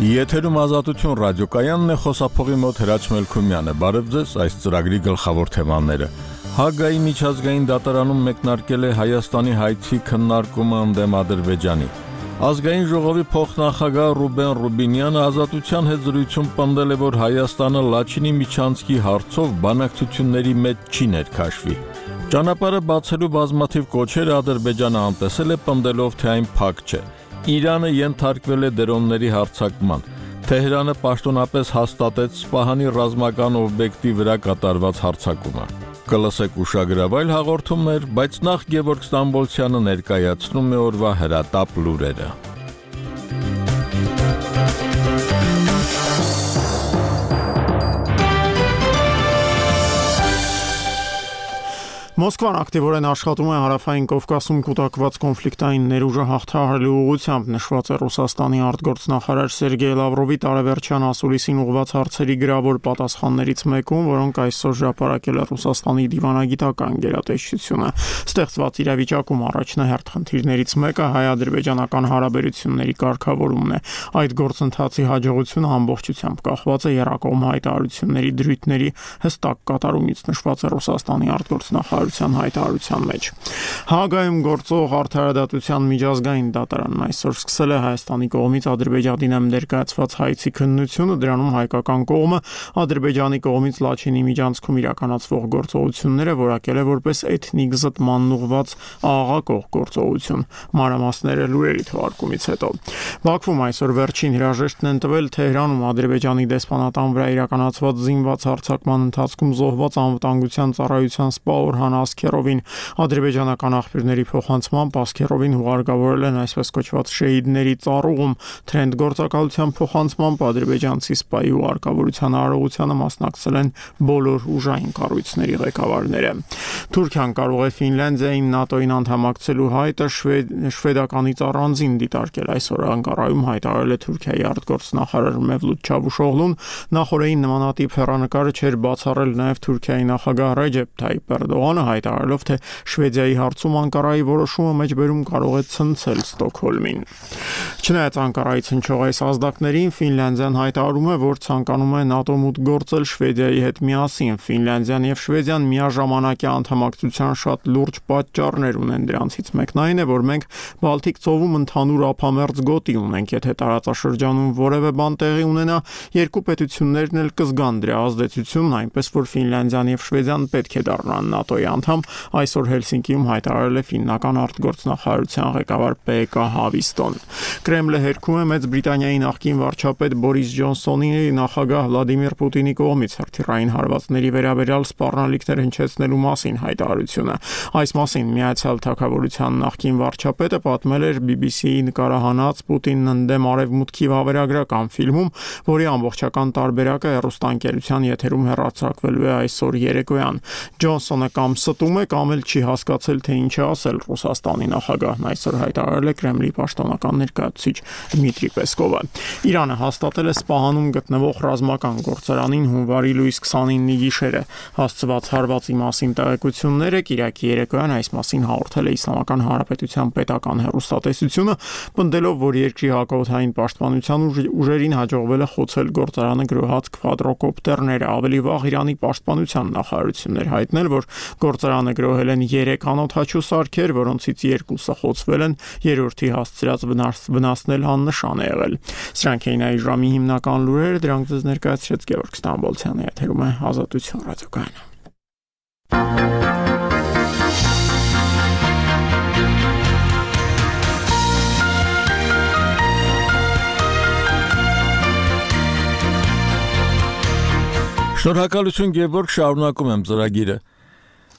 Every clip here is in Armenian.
Եթերում Ազատություն ռադիոկայանն է, խոսափողի մոտ Հրաչ Մելքումյանը։ Բարև ձեզ, այս ծրագրի գլխավոր թեմաները։ Հաագայի միջազգային դատարանում մեկնարկել է Հայաստանի հայցի քննարկումը ընդդեմ Ադրբեջանի։ Ազգային ժողովի փոխնախագահ Ռուբեն Ռուբինյանը Ազատության հետ զրույցում պնդել է, որ Հայաստանը Լաչինի միջանցքի հարցով բանակցությունների մեջ չի ներքաշվի։ Ճանապարհը բացելու բազմաթիվ կոչեր Ադրբեջանը անտեսել է, պնդելով, թե այն փակ չէ։ Իրանը ենթարկվել է դրոնների հարձակման։ Թեհրանը պաշտոնապես հաստատեց Սպահանի ռազմական օբյեկտի վրա կատարված հարձակումը։ Կլսեք ուշագրավայր հաղորդումներ, բայց նախ Գևորգ Ստամբոլցյանը ներկայացնում է օրվա հրատապ լուրերը։ Մոսկվան ակտիվորեն աշխատում է Հարավային Կովկասում կուտակված կոնֆլիկտային ներուժը հաղթահարելու ուղղությամբ, նշված է Ռուսաստանի արտգործնախարար Սերգեյ Լավրովի տարեվերջյան ասուլիսին ուղղված հարցերի գրավոր պատասխաններից մեկում, որոնք այսօր հրապարակել է Ռուսաստանի դիվանագիտական գերատեսչությունը։ Ստեղծված իրավիճակում առաջնահերթ խնդիրներից մեկը հայ-ադրբեջանական հարաբերությունների կարգավորումն է։ Այդ գործընթացի հաջողությունը ամբողջությամբ կախված է եռակողմ հայտարարությունների դրույթների հստակ կատարումից, նշված է Ռուսաստանի արտգործնախարարության հայտարարության մեջ։ Հաագայում գործող Արդարադատության միջազգային դատարանն այսօր սկսել է Հայաստանի կողմից Ադրբեջանի դեմ ներկայացված հայցի քննությունը, դրանում հայկական կողմը Ադրբեջանի կողմից Լաչինի միջանցքում իրականացվող գործողությունները որակել է որպես էթնիկ զտմանն ուղղված աղաղակող գործողություն։ Մանրամասները լուրերի թողարկումից հետո։ Բաքվում այսօր վերջին հրաժեշտն են տվել Թեհրանում Ադրբեջանի դեսպանատան վրա իրականացված զինված հարձակման ընթացքում զոհված անվտանգության ծառայության սպա Օրհան Ասքերովին։ Ադրբեջանական աղբյուրների փոխանցմամբ Ասքերովին հուղարկավորել են այսպես կոչված շեհիդների ծառուղում։ Թրենդ գործակալության փոխանցմամբ ադրբեջանցի սպայի հուղարկավորության արարողությանը մասնակցել են բոլոր ուժային կառույցների ղեկավարները։ Թուրքիան կարող է Ֆինլանդիային ՆԱՏՕ-ին անդամակցելու հայտը շվեդականից առանձին դիտարկել։ Այսօր Անկարայում հայտարարել է Թուրքիայի արտգործնախարար Մևլութ Չավուշօղլուն։ Նախորդին նմանատիպ հեռանկարը չէր բացառել նաև Թուրքիայի նախագահ Ռեջեփ Թայիփ Էրդողանը, հայտարարելով, թե Շվեդիայի հարցում Անկարայի որոշումը մեջբերում կարող է ցնցել Ստոկհոլմին։ Չնայած Անկարայից հնչող այս ազդակներին, Ֆինլանդիան հայտարարում է, որ ցանկանում է ՆԱՏՕ մուտք գործել Շվեդիայի հետ միասին։ Ֆինլանդիան եւ Շվեդիան միաժամանակյա անդամակցության շատ լուրջ պատճառներ ունեն։ Դրանցից մեկն այն է, որ մենք Բալթիկ ծովում ընդհանուր ափամերձ գոտի ունենք։ Եթե տարածաշրջանում որևէ բան տեղի ունենա, երկու պետություններն էլ կզգան դրա ազդեցությունն, այնպես որ Ֆինլանդիան եւ Շվեդիան պետք է դառնան ՆԱՏՕ-ի անդամ, այսօր Հելսինկիում հայտարարել է ֆիննական արտգործնախարարության ղեկավար Պեկա Հավիստոն։ Կրեմլը հերքում է Մեծ Բրիտանիայի նախկին վարչապետ Բորիս Ջոնսոնի նախագահ Վլադիմիր Պուտինի կողմից հրթիռային հարվածների վերաբերյալ սպառնալիքներ հնչեցնելու մասին հայտարարությունը։ Այս մասին Միացյալ Թագավորության նախկին վարչապետը պատմել էր BBC-ի նկարահանած Պուտինն ընդդեմ արևմուտքի վավերագրական ֆիլմում, որի ամբողջական տարբերակը հեռուստաընկերության եթերում հեռարձակվելու է այսօր երեկոյան։ Ջոնսոնը կամ ստում է, կամ էլ չի հասկացել, թե ինչ է ասել Ռուսաստանի նախագահն, այսօր հայտարարել է Կրեմլի պաշտոնական ներկայացուցիչ Դմիտրի Պեսկովը։ Իրանը հաստատել է Սպահանում գտնվող ռազմական գործարանին հունվարի լույս 29-ի գիշերը հասցված հարվածի մասին տեղեկությունները Կիրակի երեկոյան այս մասին հաղորդել է Իսլամական Հանրապետության պետական հեռուստատեսությունը, պնդելով, որ երկրի հակաօդային պաշտպանության ուժերին հաջողվել է խոցել գործարանը գրոհած քվադրոկոպտերները։ Ավելի վաղ Իրանի պաշտպանության նախարարությունն էր հայտնել, որ գործարանը գրոհել են 3 անօդաչու սարքեր, որոնցից 2-ը խոցվել են, երրորդի հասցրած վնասն էլ աննշան է եղել։ Սրանք էին այս ժամի հիմնական լուրերը, դրանք ձեզ ներկայացրեց Գևորգ Ստամբոլցյանը, եթերում է Ազատություն ռադիոկայանը։ Շնորհակալություն Գևորգ, շարունակում եմ ծրագիրը։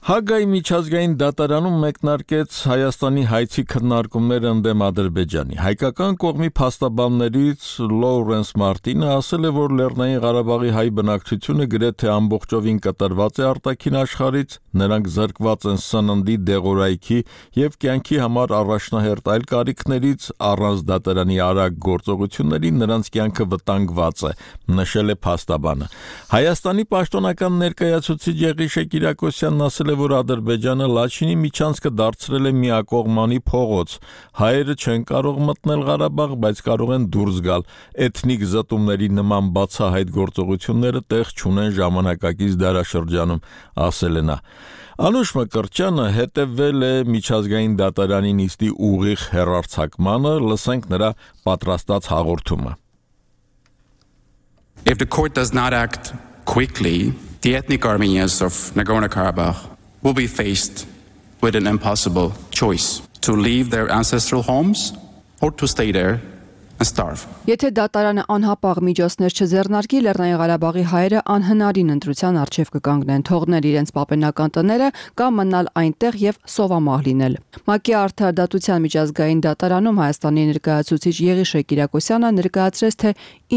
Հաագայի միջազգային դատարանում մեկնարկեց Հայաստանի հայցի քննարկումները ընդդեմ Ադրբեջանի։ Հայկական կողմի փաստաբաններից Լոուրենս Մարտինը ասել է, որ Լեռնային Ղարաբաղի հայ բնակչությունը գրեթե ամբողջովին կտրված է արտաքին աշխարհից, նրանք զրկված են սննդի, դեղորայքի եւ կյանքի համար առաջնահերթ այլ կարիքներից, առանց դատարանի արագ գործողությունների նրանց կյանքը վտանգված է, նշել է փաստաբանը։ Հայաստանի պաշտոնական ներկայացուցիչ Եղիշե Կիրակոսյանն ասել է, որ Ադրբեջանը Լաչինի միջանցքը դարձրել է միակողմանի փողոց։ Հայերը չեն կարող մտնել Ղարաբաղ, բայց կարող են դուրս գալ։ Էթնիկ զտումների նման բացահայտ գործողությունները տեղ չունեն ժամանակակից դարաշրջանում, ասել է նա։ Անուշ Մկրտչյանը հետևել է միջազգային դատարանի նիստի ուղիղ հեռարձակմանը, լսենք նրա պատրաստած հաղորդումը։ If the court does not act quickly, the ethnic Armenians of Nagorno-Karabakh will be faced with an impossible choice: to leave their ancestral homes or to stay there and starve. Եթե դատարանը անհապաղ միջոցներ չձեռնարկի, Լեռնային Ղարաբաղի հայերը անհնարին ընտրության առջև կկանգնեն, թողնել իրենց պապենական տները կամ մնալ այնտեղ եւ սովամահ լինել։ ՄԱԿ-ի արդարադատության միջազգային դատարանում Հայաստանի ներկայացուցիչ Եղիշե Կիրակոսյանը ներկայացրեց, թե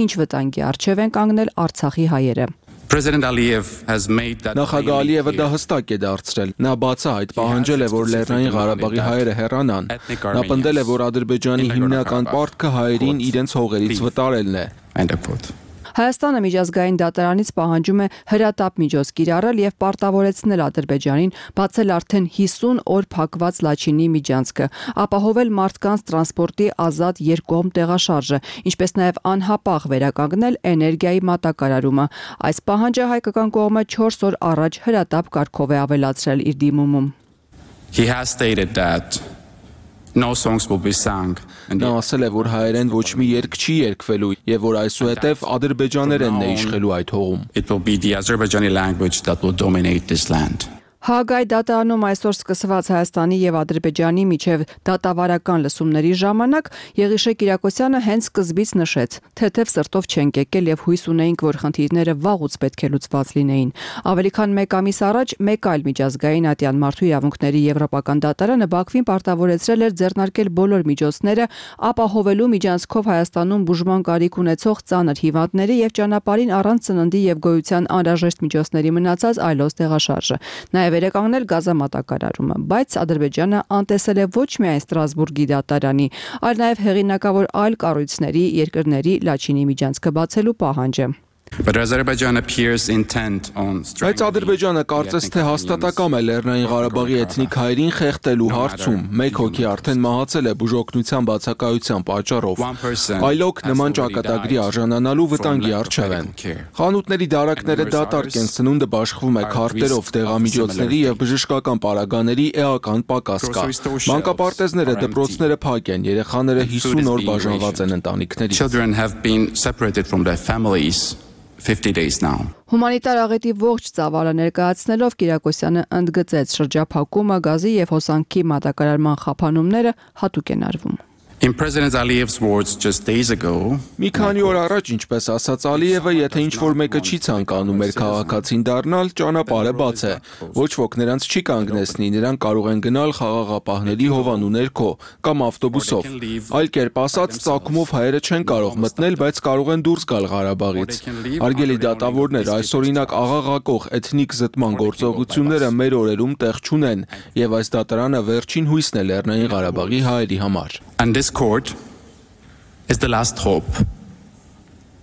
ինչ վտանգի առջև են կանգնել Արցախի հայերը։ Նախագահ Ալիևը դա հստակ է դարձրել։ Նա բացահայտ պահանջել է, որ Լեռնային Ղարաբաղի հայերը հեռանան։ Նա պնդել է, որ Ադրբեջանի հիմնական պարտքը հայերին իրենց հողերից վտարելն է։ Հայաստանը միջազգային դատարանից պահանջում է հրատապ միջոց կիրառել եւ պարտավորեցնել Ադրբեջանին բացել արդեն 50 օր փակված Լաչինի միջանցքը, ապահովել մարդկանց տրանսպորտի ազատ երկկողմ տեղաշարժը, ինչպես նաեւ անհապաղ վերականգնել էներգիայի մատակարարումը։ Այս պահանջը հայկական կողմը 4 օր առաջ հրատապ կարգով է ավելացրել իր դիմումում։ He has stated that no songs will be sung. Նա ասել է, որ հայերեն ոչ մի երգ չի երգվելու եւ որ այսուհետեւ ադրբեջաներենն է իշխելու այդ հողում։ It will be the Azerbaijani language that will dominate this land. Հաագայի դատարանում այսօր սկսված Հայաստանի եւ Ադրբեջանի միջև դատավարական լսումների ժամանակ Եղիշե Կիրակոսյանը հենց սկզբից նշեց, թեթև սրտով չենք եկել եւ հույս ունեինք, որ խնդիրները վաղուց պետք է լուծված լինեին։ Ավելի քան 1 ամիս առաջ մեկ այլ միջազգային ատյան մարդու իրավունքների եվրոպական դատարանը Բաքվին պարտավորեցրել էր ձեռնարկել բոլոր միջոցները ապահովելու միջանցքով Հայաստանում բուժման կարիք ունեցող ծանր հիվանդների եւ ճանապարհին առանց ծննդի եւ գոյության անհրաժեշտ միջոցների մնացած այլոց տեղաշարժը։ Նաեւ վերականգնել գազամատակարարումը, բայց Ադրբեջանը անտեսել է ոչ միայն Ստրասբուրգի դատարանի, այլ նաև հեղինակավոր այլ կառույցների երկրների Լաչինի միջանցքը բացելու պահանջը։ Բայց Ադրբեջանը կարծես թե հաստատակամ է Լեռնային Ղարաբաղի էթնիկ հայերին խեղդելու հարցում։ Մեկ հոգի արդեն մահացել է բուժօգնության բացակայության պատճառով։ Այլոք նման ճակատագրի արժանանալու վտանգի առջև են։ Խանութների դարակները դատարկ են, սնունդը բաշխվում է քարտերով, դեղամիջոցների եւ բժշկական պարագաների էական պակաս կա։ Մանկապարտեզները, դպրոցները փակ են, երեխաները 50 օր բաժանված են ընտանիքներից։ 50 days now. Հումանիտար աղետի ողջ ծավալը ներկայացնելով Կիրակոսյանը ընդգծեց շրջափակումը, գազի եւ հոսանքի մատակարարման խափանումները հատուկ են արվում։ In President Aliyev's words just days ago, մի քանի օր առաջ, ինչպես ասաց Ալիևը, եթե ինչ-որ մեկը չի ցանկանում մեր քաղաքացին դառնալ, ճանապարհը բաց է։ Ոչ ոք նրանց չի կանգնեցնի, նրանք կարող են գնալ խաղաղապահների հովանու ներքո կամ ավտոբուսով։ Այլ կերպ ասած, ծագումով հայերը չեն կարող մտնել, բայց կարող են դուրս գալ Ղարաբաղից։ Արգելի դատավորներ, այսօրինակ աղաղակող էթնիկ զտման գործողությունները մեր օրերում տեղ չունեն, եւ այս դատարանը վերջին հույսն է Լեռնային Ղարաբաղի հայերի համար։ And this court is the last hope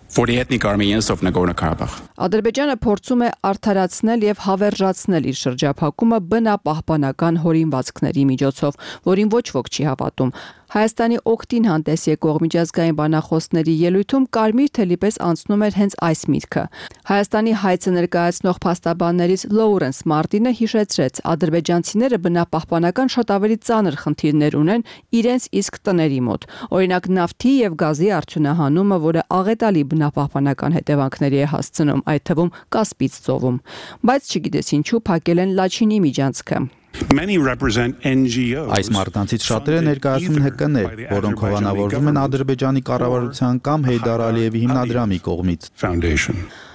for the ethnic Armenians of Nagorno-Karabakh. Ադրբեջանը փորձում է արդարացնել եւ հավերժացնել իր շրջափակումը բնապահպանական հորինվածքների միջոցով, որին ոչ ոք չի հավատում։ Հայաստանի օգտին հանդես եկող միջազգային բանախոսների ելույթում կարմիր թելի պես անցնում էր հենց այս միտքը։ Հայաստանի հայցը ներկայացնող փաստաբաններից Լոուրենս Մարտինը հիշեցրեց, ադրբեջանցիները բնապահպանական շատ ավելի ծանր խնդիրներ ունեն իրենց իսկ տների մոտ։ Օրինակ նավթի եւ գազի արդյունահանումը, որը աղետալի բնապահպանական հետևանքների է հասցնում, այդ թվում Կասպից ծովում։ Բայց չգիտես ինչու փակել են Լաչինի միջանցքը։ Այս մարդկանցից շատերը ներկայացնում են ՀԿ-ներ, որոնք հովանավորվում են Ադրբեջանի կառավարության կամ Հեյդար Ալիևի հիմնադրամի կողմից։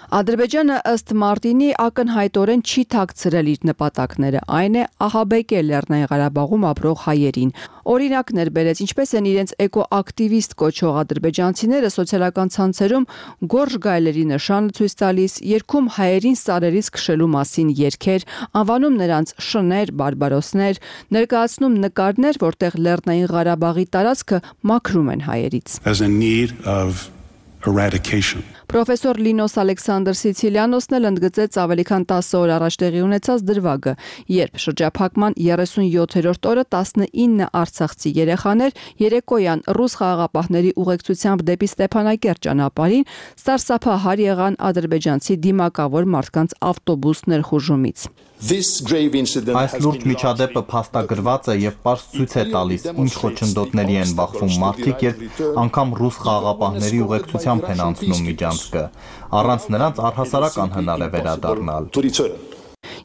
Ադրբեջանը ըստ Մարտինի ակնհայտորեն չի թաքցրել իր նպատակները, այն է ահաբեկել Լեռնային Ղարաբաղում ապրող հայերին։ Օրինակներ բերեց, ինչպես են իրենց էկոակտիվիստ կոչող ադրբեջանցիները սոցիալական ցանցերում գորժ գայլերի նշանը ցույց տալիս, երգում հայերին սարերից քշելու մասին երգեր, անվանում նրանց շներ, բարբարոսներ, ներկայացնում նկարներ, որտեղ Լեռնային Ղարաբաղի տարածքը մաքրում են հայերից։ Պրոֆեսոր Լինոս Ալեքսանդր Սիցիլիանոսն էլ ընդգծեց ավելի քան 10 օր առաջ տեղի ունեցած դրվագը, երբ շրջափակման 37-րդ օրը 19 արցախցի երեխաներ երեկոյան ռուս խաղաղապահների ուղեկցությամբ դեպի Ստեփանակերտ ճանապարհին սարսափահար եղան ադրբեջանցի դիմակավոր մարդկանց ավտոբուս ներխուժումից։ Այս լուրջ միջադեպը փաստագրված է եւ պարզ ցույց է տալիս, ինչ խոչընդոտների են բախվում մարդիկ, երբ անգամ ռուս խաղաղապահների ուղեկցությամբ են անցնում միջանցքը։ Առանց նրանց առհասարակ անհնար է վերադառնալ։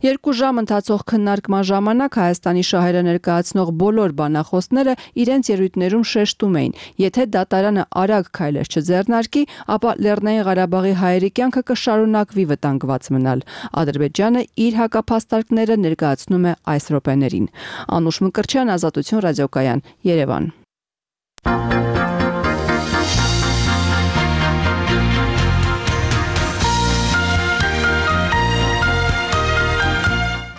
2 ժամ ընթացող քննարկման ժամանակ Հայաստանի շահերը ներկայացնող բոլոր բանախոսները իրենց ելույթներում շեշտում էին, եթե դատարանը արագ քայլեր չձեռնարկի, ապա Լեռնային Ղարաբաղի հայերի կյանքը կշարունակվի վտանգված մնալ։ Ադրբեջանը իր հակափաստարկները ներկայացնում է այս րոպեներին։ Անուշ Մկրտչյան, Ազատություն ռադիոկայան, Երևան։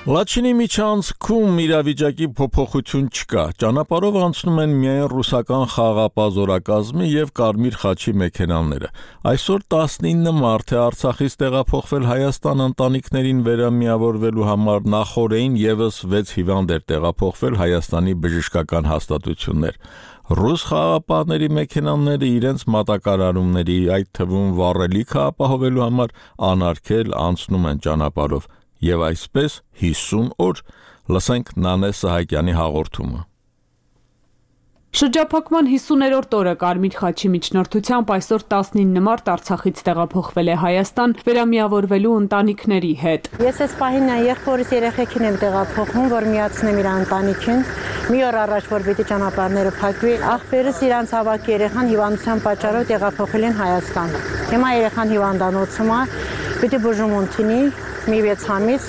Լաչինի միջանցքում իրավիճակի փոփոխություն չկա։ Ճանապարհով անցնում են միայն ռուսական խաղաղապահ զորակազմի եւ Կարմիր խաչի մեքենաները։ Այսօր 19 մարդ է Արցախից տեղափոխվել Հայաստան ընտանիքներին վերամիավորվելու համար, նախորդին եւս 6 հիվանդ էր տեղափոխվել Հայաստանի բժշկական հաստատություններ։ Ռուս խաղաղապահների մեքենաները իրենց մատակարարումների, այդ թվում վառելիքը ապահովելու համար անարգել անցնում են ճանապարհով։ Եվ այսպես 50 օր, լսենք Նանե Սահակյանի հաղորդումը։ Շրջափակման 50-րդ օրը Կարմիր խաչի միջնորդությամբ այսօր 19 մարդ Արցախից տեղափոխվել է Հայաստան վերամիավորվելու ընտանիքների հետ։ Ես այս պահին եղբորս երեխեքին եմ տեղափոխում, որ միացնեմ իր ընտանիքին։ Մի օր առաջ որ պիտի ճանապարհները փակվի, աղբերս իրանց հավաք երեխան հիվանդության պատճառով տեղափոխել են Հայաստան։ Հիմա երեխան հիվանդանոցում է, պիտի բուժում ունենի մի 6 ամիս,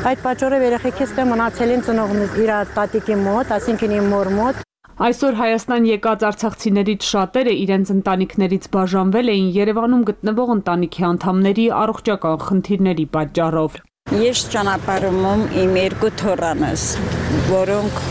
այդ պատճառով երեխեքից մնացել են ծնողներ իր տատիկի մոտ, այսինքն իմ մոր մոտ։ Այսօր Հայաստան եկած արցախցիներից շատերը իրենց ընտանիքներից բաժանվել էին Երևանում գտնվող ընտանիքի անդամների առողջական խնդիրների պատճառով։ Ես ճանապարհում իմ 2 թոռանս, որոնք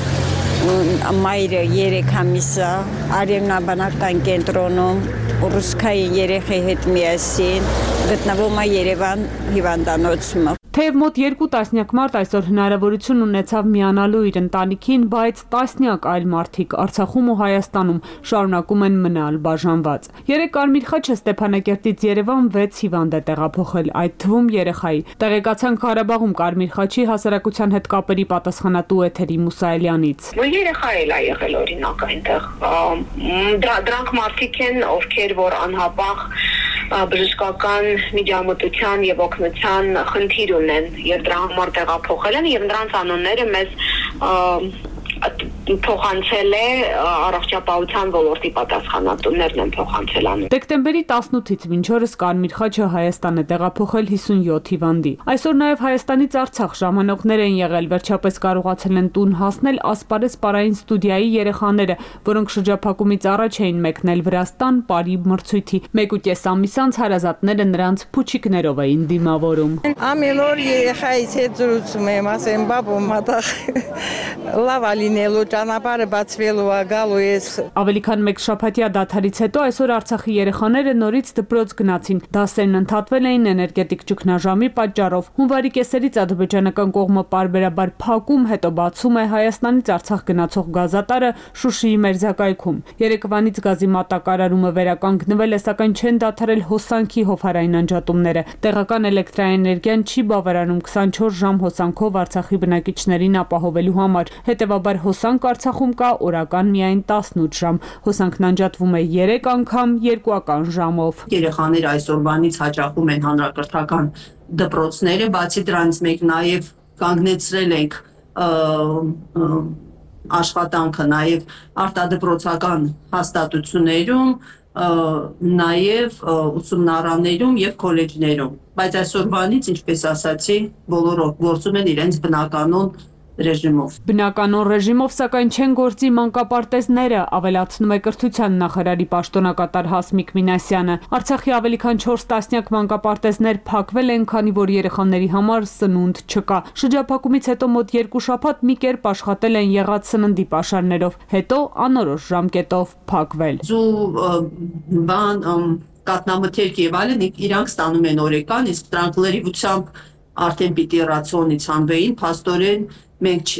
մայրը 3 ամիս է արևնաբանական կենտրոնում ռուսկայի երեխայի հետ միասին գտնվում է Երևան հիվանդանոցում։ Թեև մոտ 2 տասնյակ մարդ այսօր հնարավորություն ունեցավ միանալու իր ընտանիքին, բայց տասնյակ այլ մարդիկ Արցախում ու Հայաստանում շարունակում են մնալ բաժանված։ Երեք Կարմիր խաչը Ստեփանակերտից Երևան 6 հիվանդ է տեղափոխել, այդ թվում երեխայի։ Տեղեկացանք Ղարաբաղում Կարմիր խաչի հասարակության հետ կապերի պատասխանատու Էթերի Մուսայելյանից։ Երեխա էլ է եղել օրինակ այնտեղ։ Դրանք մարդիկ են, ովքեր որ անհապաղ բժշկական միջամտության եւ օգնության խնդիր ունեն եւ դրա համար տեղափոխել են եւ նրանց անունները մեզ փոխանցել է առողջապահության ոլորտի պատասխանատուներն են փոխանցել անում։ Դեկտեմբերի 18-ից մինչ օրս Կարմիր խաչը Հայաստան է տեղափոխել 57 հիվանդի։ Այսօր նաև Հայաստանից Արցախ ժամանողներ են եղել, վերջապես կարողացել են տուն հասնել Ասպարեզ պարային ստուդիայի երեխաները, որոնք շրջափակումից առաջ էին մեկնել Վրաստան Պարի մրցույթի։ 1.5 ամիս անց հարազատները նրանց փուչիկներով էին դիմավորում։ Ամեն օր երեխայից հետ զրուցում եմ, ասեմ բաբո մատաղ լավ լինելու ճանապարհը բացվելու է գալու ես։ Ավելի քան 1 շաբաթյա դադարից հետո այսօր Արցախի երեխաները նորից դպրոց գնացին։ Դասերն ընդհատվել էին էներգետիկ ճգնաժամի պատճառով։ Հունվարի կեսերից ադրբեջանական կողմը պարբերաբար փակում, հետո բացում է Հայաստանից Արցախ գնացող գազատարը Շուշիի մերձակայքում։ Երեկվանից գազի մատակարարումը վերականգնվել է, սակայն չեն դադարել հոսանքի հովհարային անջատումները։ Տեղական էլեկտրաէներգիան չի բավարարում 24 ժամ հոսանքով Արցախի բնակիչներին ապահովելու համար։ Հետևաբար հոսանք Արցախում կա օրական միայն 18 ժամ։ Հոսանքն անջատվում է 3 անգամ երկուական ժամով։ Երեխաները այսօրվանից հաճախում են հանրակրթական դպրոցները, բացի դրանից մենք նաև կանգնեցրել ենք աշխատանքը նաև արտադպրոցական հաստատություններում, նաև ուսումնարաններում եւ քոլեջներում, բայց այսօրվանից, ինչպես ասացի, բոլորը գործում են իրենց բնականոն ռեժիմով։ Բնականոն ռեժիմով, սակայն չեն գործի մանկապարտեզները, ավելացնում է կրթության նախարարի պաշտոնակատար Հասմիկ Մինասյանը։ Արցախի ավելի քան 4 տասնյակ մանկապարտեզներ փակվել են, քանի որ երեխաների համար սնունդ չկա։ Շրջափակումից հետո մոտ 2 շաբաթ մի կերպ աշխատել են եղած սննդի պաշարներով, հետո անորոշ ժամկետով փակվել։ կատնամթերք եւ այլն իրանք ստանում են օրեկան, իսկ դրանք լրիվությամբ արդեն պիտի ռացիոնից հանվեին, փաստորեն մենք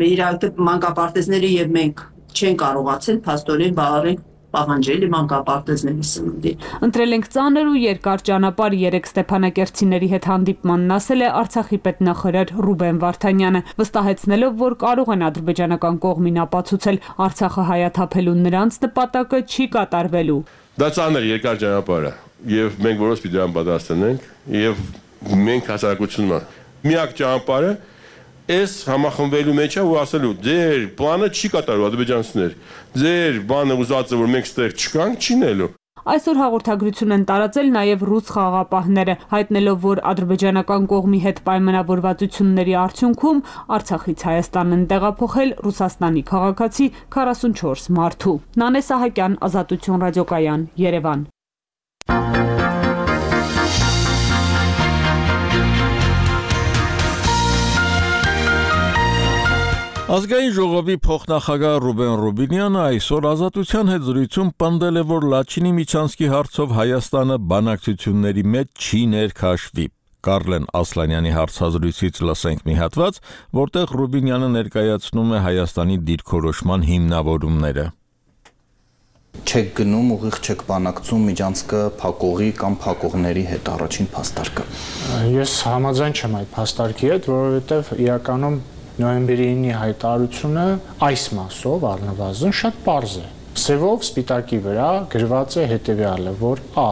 իրանք մանկապարտեզները եւ մենք չեն կարողացել փաստորեն բավարարել պահանջելի մանկապարտեզների սննդին։ Ընտրել ենք ծանր ու երկար ճանապարհ 3 ստեփանակերտցիների հետ հանդիպմանն ասել է Արցախի պետնախարար Ռուբեն Վարդանյանը, վստահեցնելով, որ կարող են ադրբեջանական կողմին ապացուցել Արցախը հայաթափելու նրանց նպատակը չի կատարվելու։ Դա ծանր երկար ճանապարհ է եւ մենք որոշ պիտի դրան պատրաստենք եւ մենք հասարակությունը միակ ճանապարհը Այս համախմբվելու մեջ է ու ասելու ձեր պլանը չի կատարվի ադրբեջանցիներ ձեր բանը ուզածը որ մենք ստեղ չկանք չի նելու Այսօր հաղորդագրություն են տարածել նաև ռուս խաղաղապահները, հայտնելով, որ ադրբեջանական կողմի հետ պայմանավորվածությունների արդյունքում Արցախից Հայաստան են տեղափոխել Ռուսաստանի քաղաքացի 44 մարդու։ Նանե Սահակյան, Ազատություն ռադիոկայան, Երևան։ Ազգային ժողովի փոխնախագահ Ռուբեն Ռուբինյանը այսօր Ազատության հետ զրույցում պնդել է, որ Լաչինի Միչանսկի հարցով Հայաստանը բանակցությունների մեջ չի ներքաշվի։ Կարլեն Ասլանյանի հարցազրույցից լսենք մի հատված, որտեղ Ռուբինյանը ներկայացնում է Հայաստանի դիրքորոշման հիմնավորումները։ Չեք գնում ուղիղ չեք բանակցում Միջանսկը փակողի կամ փակողների հետ առաջին փաստարկը։ Ես համաձայն չեմ այդ փաստարկի հետ, որովհետև իրականում նոյեմբերի 9-ի հայտարարությունը այս մասով առնվազն շատ պարզ է։ Սևով սպիտակի վրա գրված է հետևյալը, որ Ա.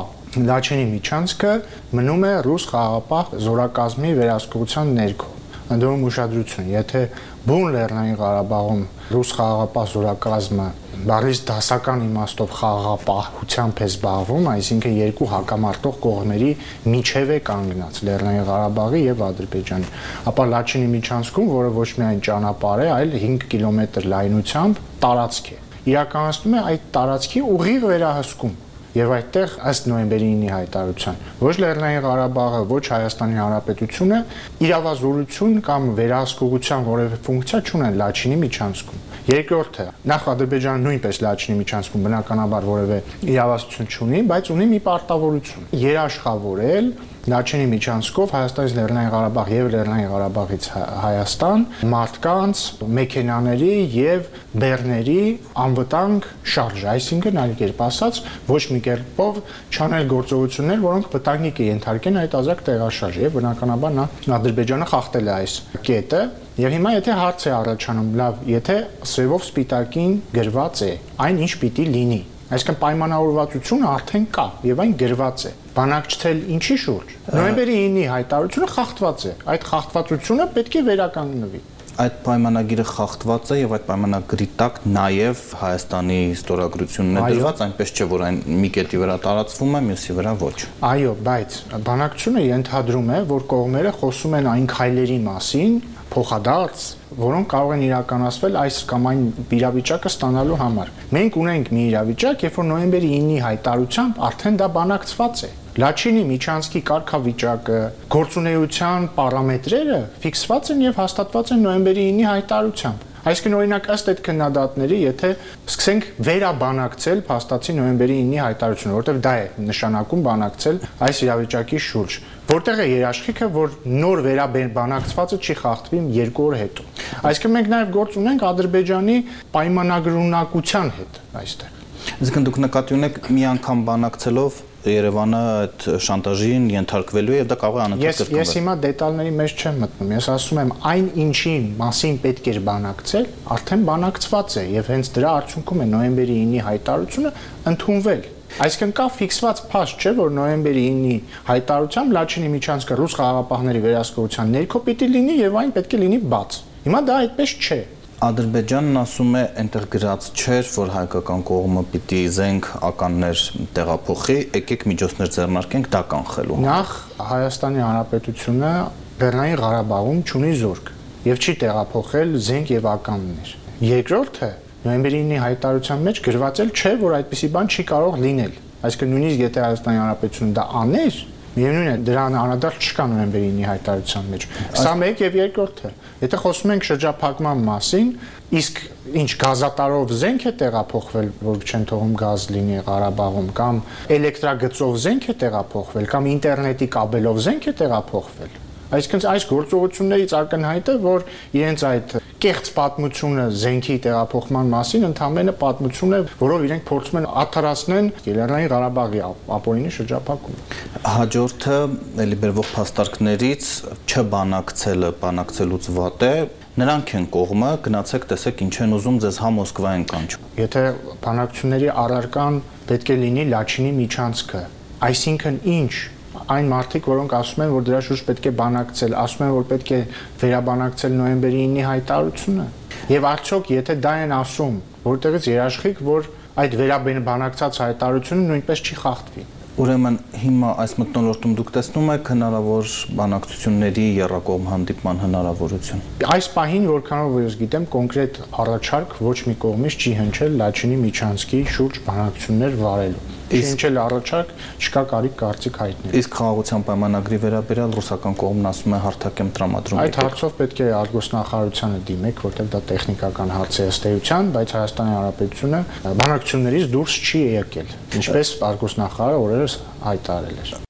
Լաչինի Միչանսկը մնում է ռուս խաղաղապահ զորակազմի վերահսկողության ներքո։ Ընդդեմ ուշադրություն, եթե բուն Լեռնային Ղարաբաղում ռուս խաղաղապահ զորակազմը բառից դասական իմաստով խաղաղապահությամբ է զբաղվում, այսինքն երկու հակամարտող կողմերի միջև է կանգնած Լեռնային Ղարաբաղի եւ Ադրբեջանի, ապա Լաչինի Միչանսկում, որը ոչ միայն ճանապարհ է, այլ 5 կիլոմետր լայնությամբ տարածք է, իրականացնում է այդ տարածքի ուղիղ վերահսկում։ Եվ այդտեղ ըստ նոյեմբերի 9-ի հայտարարության ոչ Լեռնային Ղարաբաղը, ոչ Հայաստանի Հանրապետությունը իրավազորություն կամ վերահսկողության որևէ ֆունկցիա չունեն Լաչինի Միչանսկում։ Երկրորդը, նախ Ադրբեջանը նույնպես Լաչինի Միչանսկում բնականաբար որևէ իրավասություն չունի, բայց ունի մի պարտավորություն՝ երաշխավորել Լաչինի Միչանսկով Հայաստանից Լեռնային Ղարաբաղ եւ Լեռնային Ղարաբաղից Հայաստան մարդկանց, մեքենաների եւ բեռների անվտանգ շարժ, այսինքն այլ կերպ ասած, ոչ մի կերպով չանել գործողություններ, որոնք վտանգի կենթարկեն այդ ազգ տեղաշարժ եւ բնականաբար նա Ադրբեջանը խախտել է այս կետը եւ հիմա եթե հարց է առաջանում, լավ, եթե սևով սպիտակին գրված է այն ինչ պիտի լինի, այսինքն պայմանավորվածությունը արդեն կա եւ այն գրված է։ Բանակցել ինչի շուրջ։ Նոյեմբերի 9-ի հայտարարությունը խախտված է։ Այդ խախտվածությունը պետք է վերականգնվի։ Այդ պայմանագիրը խախտված է եւ այդ պայմանագրի տակ նաեւ Հայաստանի ստորագրությունն է դրված, այնպես չէ, որ այն մի կետի վրա տարածվում է, մյուսի վրա ոչ։ Այո, բայց բանակցությունը ենթադրում է, որ կողմերը խոսում են այն քայլերի մասին, փոխադարձ, որոնք կարող են իրականացվել այս կամ այն իրավիճակը ստանալու համար։ Մենք ունենք մի իրավիճակ, երբ որ նոյեմբերի 9-ի հայտարարությամբ արդեն դա բանակցված է։ Լաչինի Միչանսկի կարգավիճակը, գործունեության պարամետրերը ֆիքսված են եւ հաստատված են նոյեմբերի 9-ի հայտարարությամբ։ Այսինքն օրինակ ըստ այդ քննադատների, եթե սկսենք վերաբանակցել փաստացի նոյեմբերի 9-ի հայտարարությունը, որտեղ դա է նշանակում բանակցել այս իրավիճակի շուրջ, որտեղ է երաշխիքը, որ նոր վերաբանակցվածը չի խախտվի 2 օր հետո։ Այսինքն մենք նաև գործ ունենք Ադրբեջանի պայմանագրունակության հետ այստեղ։ Այսինքն դուք նկատի ունեք մի անգամ բանակցելով Երևանը այդ շանտաժին ենթարկվելու է եւ դա կարող է անընդհատ կրկնվել։ Ես հիմա դետալների մեջ չեմ մտնում։ Ես ասում եմ, այն ինչի մասին պետք էր բանակցել, արդեն բանակցված է եւ հենց դրա արդյունքում է նոյեմբերի 9-ի հայտարարությունը ընդունվել։ Այսինքն կա ֆիքսված փաստ, չէ, որ նոյեմբերի 9-ի հայտարարությամբ Լաչինի Միչանսկը ռուս խաղաղապահների վերահսկողության ներքո պիտի լինի եւ այն պետք է լինի բաց։ Հիմա դա այդպես չէ։ Ադրբեջանն ասում է, այնտեղ գրած չէր, որ հայկական կողմը պիտի զենք ականներ տեղափոխի, եկեք միջոցներ ձեռնարկենք դա կանխելու։ Նախ Հայաստանի Հանրապետությունը Լեռնային Ղարաբաղում չունի զորք եւ չի տեղափոխել զենք եւ ականներ։ Երկրորդը, նոյեմբերի 9-ի հայտարարության մեջ գրված չէ, որ այդպիսի բան չի կարող լինել։ Այսինքն նույնիսկ եթե Հայաստանի Հանրապետությունը դա աներ, Միևնույն է, դրան անդրադարձ չկա նոյեմբերի 9-ի հայտարարության մեջ։ Սա մեկ եւ երկրորդը։ Եթե խոսում ենք շրջափակման մասին, իսկ ինչ գազատարով զենք է տեղափոխվել, որ չեն թողում գազ լինի Ղարաբաղում, կամ էլեկտրագծով զենք է տեղափոխվել, կամ ինտերնետի կաբելով զենք է տեղափոխվել։ Այսինքն այս գործողություններից ակնհայտ է, որ իրենց այդ կեղծ պատմությունը զենքի տեղափոխման մասին ընդհանրապես պատմություն է, որով իրենք փորձում են աթարացնել Լեռնային Ղարաբաղի ապօրինի շրջափակումը։ Հաջորդը ելի բերվող փաստարկներից չբանակցելը, բանակցելուց վատ է, նրանք են կողմը, գնացեք տեսեք ինչ են ուզում ձեզ հա Մոսկվայեն կանչում։ Եթե բանակցությունների առարկան պետք է լինի Լաչինի միջանցքը, այսինքն ինչ այն մարդիկ, որոնք ասում են, որ դրա շուրջ պետք է բանակցել, ասում են, որ պետք է վերաբանակցել նոյեմբերի 9-ի հայտարարությունը։ Եվ արդյոք, եթե դա են ասում, որտեղից երաշխիք, որ այդ վերաբանակցած հայտարարությունը նույնպես չի խախտվի։ Ուրեմն հիմա այս մթնոլորտում դուք տեսնում եք հնարավոր բանակցությունների եռակողմ հանդիպման հնարավորություն։ Այս պահին, որքանով ես գիտեմ, կոնկրետ առաջարկ ոչ մի կողմից չի հնչել Լաչինի միջանցքի շուրջ բանակցություններ վարելու։ Հնչել առաջարկ, չկա կարիք կարծիք հայտնել։ Իսկ խաղաղության պայմանագրի վերաբերյալ ռուսական կողմն ասում է հարթակ եմ տրամադրում։ Այդ հարցով պետք է արտգործնախարարությանը դիմեք, որտեղ դա տեխնիկական հարց է ըստ էության, բայց Հայաստանի Հանրապետությունը բանակցություններից դուրս չի եկել, ինչպես արտգործնախարարը օրերս հայտարարել էր։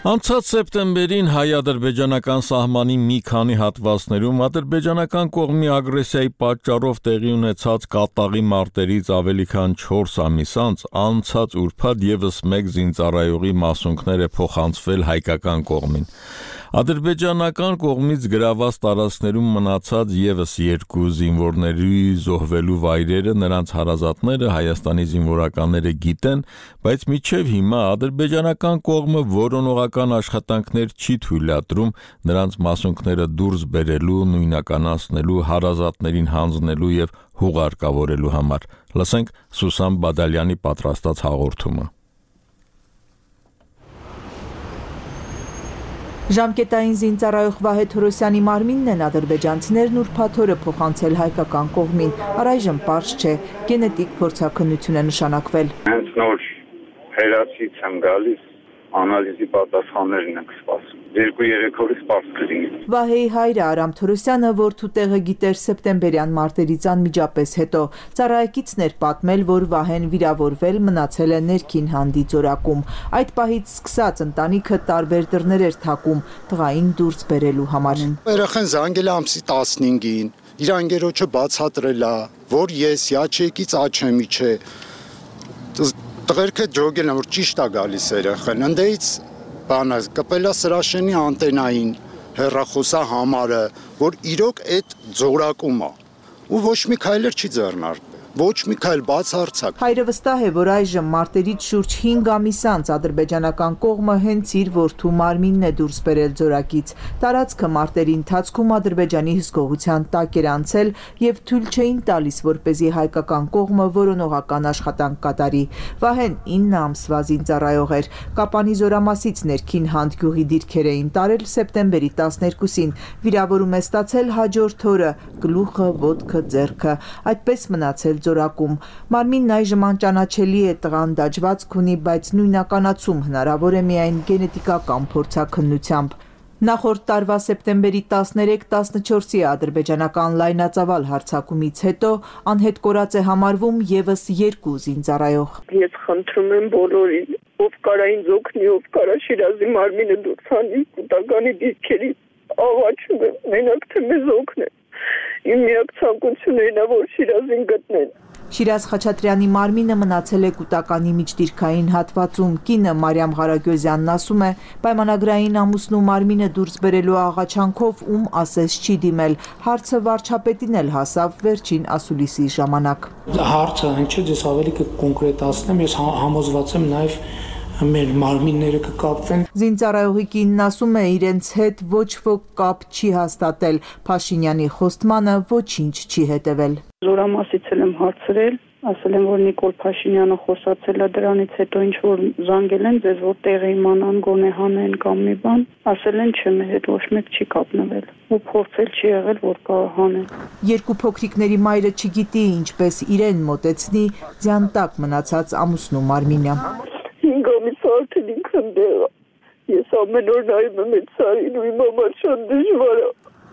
Անցած սեպտեմբերին հայ-ադրբեջանական սահմանի մի քանի հատվածներում ադրբեջանական կողմի ագրեսիայի պատճառով տեղի ունեցած կատաղի մարտերից ավելի քան 4 ամիս անց անցած ուրբաթ եւս մեկ զինծառայողի մասունքներ է փոխանցվել հայկական կողմին։ Ադրբեջանական կողմից գրաված տարածքներում մնացած եւս 2 զինվորների զոհվելու վայրերը նրանց հարազատները Հայաստանի զինվորականները գիտեն, բայց մինչև հիմա ադրբեջանական կողմը որոնողական աշխատանքներ չի թույլատրում նրանց մասունքները դուրս բերելու, նույնականացնելու, հարազատներին հանձնելու եւ հուղարկավորելու համար։ Լսենք Սուսան Բադալյանի պատրաստած հաղորդումը։ Ժամկետային զինծառայող Վահե Թորոսյանի մարմինն են ադրբեջանցիներն ուրբաթ օրը փոխանցել հայկական կողմին։ Առայժմ պարզ չէ, գենետիկ փորձաքննություն է նշանակվել։ Հենց նոր հերացից եմ գալիս, անալիզի պատասխաններն ենք սպասում։ 2-3 օրից պարզ կլինի։ Վահեի հայրը Արամ Թորոսյանը, որթու տեղը գիտեր սեպտեմբերյան մարտերից անմիջապես հետո, ծառայեկիցն էր պատմել, որ Վահեն վիրավորվել մնացել է ներքին հանդի ձորակում։ Այդ պահից սկսած ընտանիքը տարբեր դռներ էր թակում տղային դուրս բերելու համար։ Երեխան զանգել է ամսի 15-ին, իր անգերոջը բացատրել է, որ ես Յաչեկից Աչեմի չէ։ Տղերքը ջոգել են, որ ճիշտ է գալիս երեխան, ընդեից բանը կպել է Սրաշենի անտենային հեռախոսա համարը, որ իրոք այդ ձորակում է, ու ոչ մի քայլեր չի ձեռնարկվել, ոչ մի քայլ բացարձակ։ Հայրը վստահ է, որ այժմ մարտերից շուրջ 5 ամիս անց ադրբեջանական կողմը հենց իր որդու մարմինն է դուրս բերել ձորակից։ Տարածքը մարտերի ընթացքում ադրբեջանի հսկողության տակ էր անցել եւ թույլ չէին տալիս, որպեսզի հայկական կողմը որոնողական աշխատանք կատարի։ Վահեն 9 ամսվա զինծառայող էր։ Կապանի զորամասից ներքին Հանդ գյուղի դիրքեր էին տարել սեպտեմբերի 12-ին։ Վիրավորում է ստացել հաջորդ օրը, գլուխը, ոտքը, ձեռքը։ Այդպես մնացել ձորակում։ Մարմինն այժմ անճանաչելի է, տղան դաջվածք ունի, բայց նույնականացում հնարավոր է միայն գենետիկական փորձաքննությամբ։ Նախորդ տարվա սեպտեմբերի 13-14-ի ադրբեջանական լայնածավալ հարձակումից հետո անհետ կորած է համարվում եւս 2 զինծառայող։ Ես խնդրում եմ բոլորին, ով կարա ինձ օգնի, ով կարա Շիրազի մարմինը դուրս հանի կուտականի դիրքերի, աղաչում եմ, մենակ թե մեզ օգնեն։ Իմ միակ ցանկությունն է, որ Շիրազին գտնեն։ Շիրազ Խաչատրյանի մարմինը մնացել է կուտականի միջդիրքային հատվածում։ Կինը Մարիամ Ղարագյոզյանն ասում է, պայմանագրային ամուսնու մարմինը դուրս բերելու աղաչանքով ում ասես չի դիմել։ Հարցը վարչապետին էլ հասավ վերջին ասուլիսի ժամանակ։ Հարցը հնչեց, ես ավելի կկոնկրետացնեմ, ես համոզված եմ նաև մեր մարմինները կկապվեն։ Զինծառայողի կինն ասում է, իրենց հետ ոչ ոք կապ չի հաստատել, Փաշինյանի խոստմանը ոչինչ չի հետևել։ Զորամասից եմ հարցրել, Ասել են, որ Նիկոլ Փաշինյանը խոսացել է դրանից հետո ինչ որ զանգել են ձեզ, որ տեղը իմանան, գոնե հանեն կամ մի բան, ասել են չէ, մեր հետ ոչ մեկ չի կապնվել ու փորձել չի եղել, որ կարող հանեն։ Երկու փոքրիկների մայրը չգիտի ինչպես իրեն մոտեցնի ձյան տակ մնացած ամուսնու Մարմինը։ 5 ամիս արդեն ինքն դեղա։ Ես ամեն օր նայում եմ այդ սարին ու իմ համար շատ դժվար է։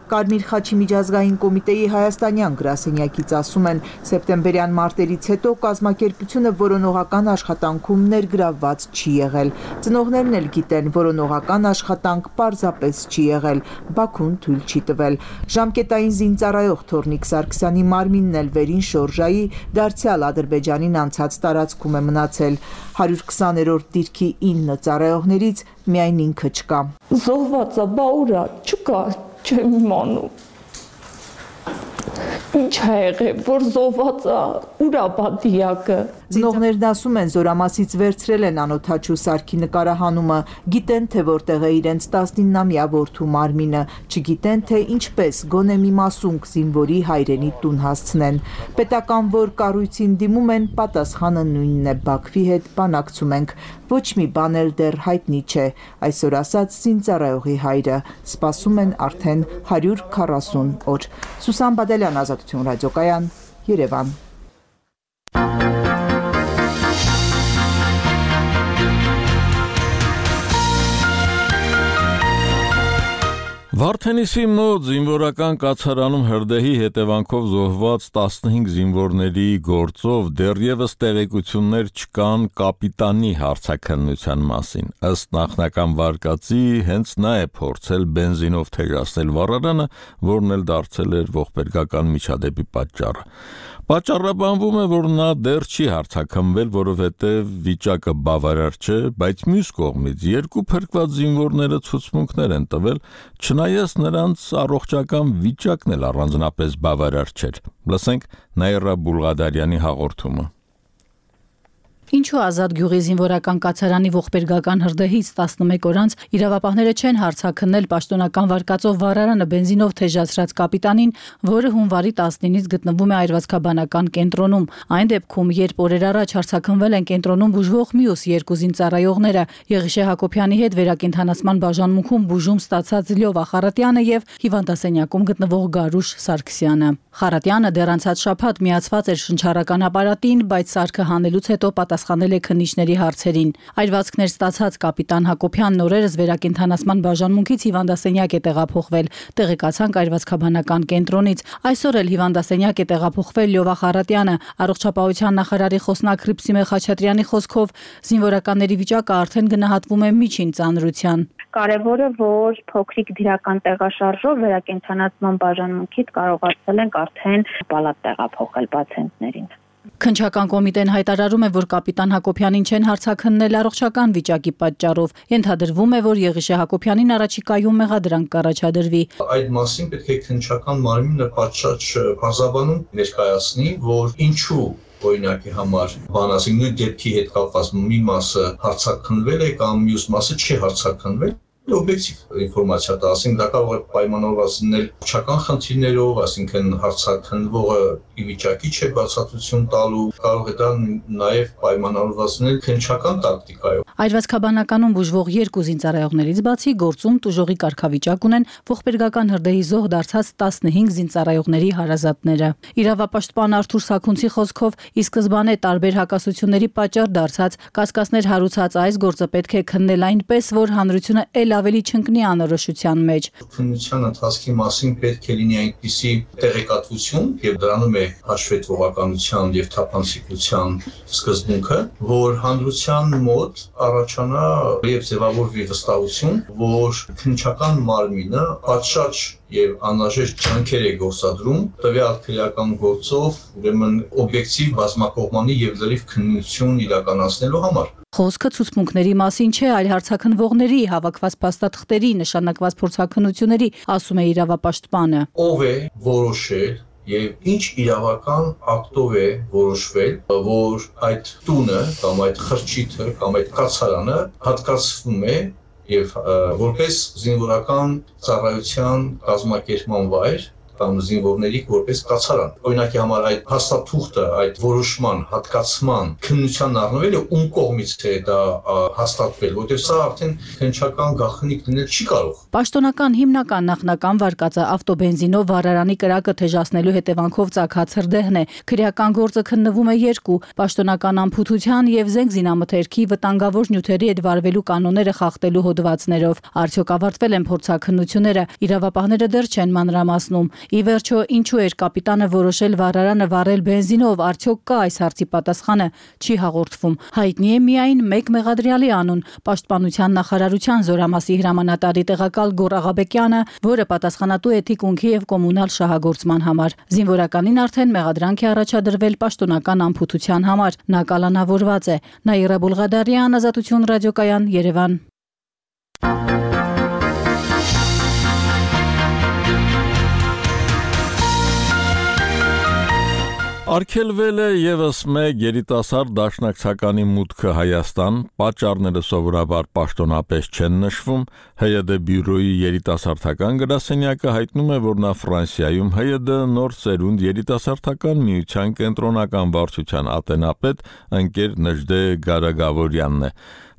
Կարմիր խաչի միջազգային կոմիտեի հայաստանյան գրասենյակից ասում են, սեպտեմբերյան մարտերից հետո կազմակերպությունը որոնողական աշխատանքում ներգրավված չի եղել։ Ծնողներն էլ գիտեն, որոնողական աշխատանք պարզապես չի եղել, Բաքուն թույլ չի տվել։ Ժամկետային զինծառայող Թորնիկ Սարգսյանի Մարմինն էլ վերին շորժայի դարձյալ Ադրբեջանին անցած տարածքում է մնացել։ 120-րդ դիրքի 9 ծառայողներից միայն ինքը չկա։ Զոհված է, բա ուրա, չկա, չեմ իմանում։ Ինչ է եղել, որ զոհված է, ուրա բադիակը։ Ծնողներն ասում են, զորամասից վերցրել են անօթաչու Սարգի նկարահանումը, գիտեն, թե որտեղ է իրենց 19-ամյա որդու Մարմինը, չգիտեն, թե ինչպես գոնե մի մասունք զինվորի հայրենի տուն հասցնեն։ Պետական որ կառույցին դիմում են, պատասխանը նույնն է, Բաքվի հետ բանակցում ենք, ոչ մի բան էլ դեռ հայտնի չէ, այսօր ասած զինծառայողի հայրը, սպասում են արդեն 140 օր։ Սուսան Բադելյան, Ազատություն ռադիոկայան, Երևան։ Վարդենիսի մոտ զինվորական կացարանում հրդեհի հետևանքով զոհված 15 զինվորների գործով դեռևս տեղեկություններ չկան կապիտանի հարցաքննության մասին։ Ըստ նախնական վարկածի, հենց նա է փորձել բենզինով թեժացնել վառարանը, որն էլ դարձել էր ողբերգական միջադեպի պատճառը։ Պատճառաբանվում է, որ նա դեռ չի հարցաքննվել, որովհետև վիճակը բավարար չէ, բայց մյուս կողմից երկու փրկված զինվորները ցուցմունքներ են տվել, չնայած նրանց առողջական վիճակն էլ առանձնապես բավարար չէր։ Լսենք Նաիրա Բուլղադարյանի հաղորդումը։ Ինչու Ազատ գյուղի զինվորական կացարանի ողբերգական հրդեհից 11 օր անց իրավապահները չեն հարցաքննել պաշտոնական վարկածով վառարանը բենզինով թեժացրած կապիտանին, որը հունվարի 19-ից գտնվում է այրվածքաբանական կենտրոնում։ Այն դեպքում, երբ օրեր առաջ հարցաքննվել են կենտրոնում բուժվող մյուս երկու զինծառայողները, Եղիշե Հակոբյանի հետ վերակենդանացման բաժանմունքում բուժում ստացած Լյովա Խարատյանը եւ հիվանդասենյակում գտնվող Գարուշ Սարգսյանը։ Խարատյանը դեռ անցած շաբաթ միացված էր շնչառական ապարատին, բայց սարքը հանելուց հետո պատասխանել է քննիչների հարցերին։ Այրվածքներ ստացած կապիտան Հակոբյանն օրերս վերակենդանացման բաժանմունքից հիվանդասենյակ է տեղափոխվել, տեղեկացանք այրվածքաբանական կենտրոնից։ Այսօր էլ հիվանդասենյակ է տեղափոխվել Լյովա Խարատյանը։ Առողջապահության նախարարի խոսնակ Հռիփսիմե Խաչատրյանի խոսքով զինվորականների վիճակը արդեն գնահատվում է միջին ծանրության։ Կարևորը, որ փոքրիկ դիրական տեղաշարժով վերակենդանացման բաժանմունքից կարողացել ենք արդեն պալատ տեղափոխել պացիենտներին։ Քննչական կոմիտեն հայտարարում է, որ կապիտան Հակոբյանին չեն հարցաքննել առողջական վիճակի պատճառով։ Ենթադրվում է, որ Եղիշե Հակոբյանին առաջիկայում մեղադրանք կառաջադրվի։ Այդ մասին պետք է քննչական մարմինը պատշաճ բարձաբանում ներկայացնի, որ ինչու օրինակի համար բանասի նույն դեպքի հետ կապված մի մասը հարցաքննվել է կամ մյուս մասը չի հարցաքննվել։ Օբյեկտիվ ինֆորմացիա տա, ասենք դա կարող է պայմանավորված լինել փչական խնդիրներով, այսինքն հարցաքննվողը ի վիճակի չէ բացատրություն տալու, կարող է դա նաև պայմանավորված լինել քննչական տակտիկայով։ Այրվածքաբանականում բուժվող երկու զինծառայողներից բացի գործում տուժողի կարգավիճակ ունեն ողբերգական հրդեհի զոհ դարձած 15 զինծառայողների հարազատները։ Իրավապաշտպան Արթուր Սաքունցի խոսքով ի սկզբանե տարբեր հակասությունների պատճառ դարձած կասկածներ հարուցած այս գործը պետք է քննել այնպես, որ հանրությունը ել ավելի չընկնի անորոշության մեջ։ Քննության ընթացքի մասին պետք է լինի այնպիսի տեղեկատվություն եւ դրանում է հաշվետվողականության եւ թափանցիկության սկզբունքը, որ հանրության մոտ առաջանա եւ ձևավորվի վստահություն, որ քննչական մարմինը պատշաճ եւ անհրաժեշտ ջանքեր է գործադրում տվյալ քրեական գործով, ուրեմն օբյեկտիվ բազմակողմանի եւ լրիվ քննություն իրականացնելու համար։ Խոսքը ցուցմունքների մասին չէ, այլ հարցաքննվողների հավաքված փաստաթղթերի նշանակված փորձաքննությունների, ասում է իրավապաշտպանը։ Ով է որոշել եւ ինչ իրավական ակտով է որոշվել, որ այդ տունը կամ այդ խրճիթը կամ այդ կացարանը հատկացվում է եւ որպես զինվորական ծառայության կազմակերպման վայր կամ զինվորների որպես կացարան։ Օրինակի համար այդ հաստատուղթը, այդ որոշման, հատկացման քննության առնվելը ում կողմից է դա հաստատվել, որտեղ սա արդեն քննչական գաղտնիք լինել չի կարող։ Պաշտոնական հիմնական նախնական վարկածը ավտոբենզինով վառարանի կրակը թեժացնելու հետևանքով ծագած հրդեհն է։ Քրեական գործը քննվում է երկու՝ պաշտոնական անփութության եւ զենք զինամթերքի վտանգավոր նյութերի հետ վարվելու կանոնները խախտելու հոդվածներով։ Արդյոք ավարտվել են փորձաքննությունները, իրավապահները դեռ չեն մանրամասնում։ Ի վերջո, ինչու էր կապիտանը որոշել վառարանը վառել բենզինով, արդյոք կա այս հարցի պատասխանը, չի հաղորդվում։ Հայտնի է միայն մեկ մեղադրյալի անուն՝ Պաշտպանության նախարարության Զորամասի հրամանատարի տեղակալ Գոռ Աղաբեկյանը, որը պատասխանատու է թիկունքի եւ կոմունալ շահագործման համար։ Զինվորականին արդեն մեղադրանք է առաջադրվել պաշտոնական անփութության համար։ Նա կալանավորված է։ Նաիրա Բուլղադարյան, Ազատություն ռադիոկայան, Երևան։ Արգելվել է եւս մեկ երիտասարդ դաշնակցականի մուտքը Հայաստան, պատճառները սովորաբար պաշտոնապես չեն նշվում։ ՀՅԴ բյուրոյի երիտասարդական գրասենյակը հայտնում է, որ նա Ֆրանսիայում ՀՅԴ նոր սերունդ երիտասարդական միության կենտրոնական վարչության ատենապետ ընկեր Նժդե Գարագավորյանն է։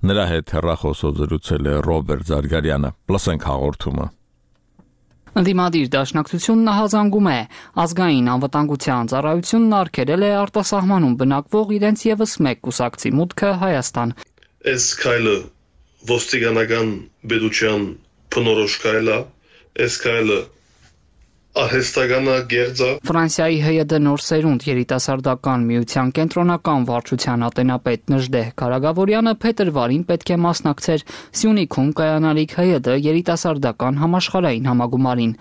Նրա հետ հեռախոսով զրուցել է Ռոբերտ Զարգարյանը։ Լսենք հաղորդումը։ Ընդդիմադիր դաշնակցությունն հազանգում է, ազգային անվտանգության ծառայությունն արգելել է արտասահմանում բնակվող իրենց եւս մեկ կուսակցի մուտքը Հայաստան։ Այս քայլը ոստիկանական բեդության փնորոշ քայլ է, այս քայլը արհեստականա գերձա։ Ֆրանսիայի ՀՅԴ նոր սերունդ երիտասարդական միության կենտրոնական վարչության ատենապետ Նժդե Գարագավորյանը փետրվարին պետք է մասնակցեր Սյունիքում կայանալիք ՀՅԴ երիտասարդական համաշխարհային համագումարին։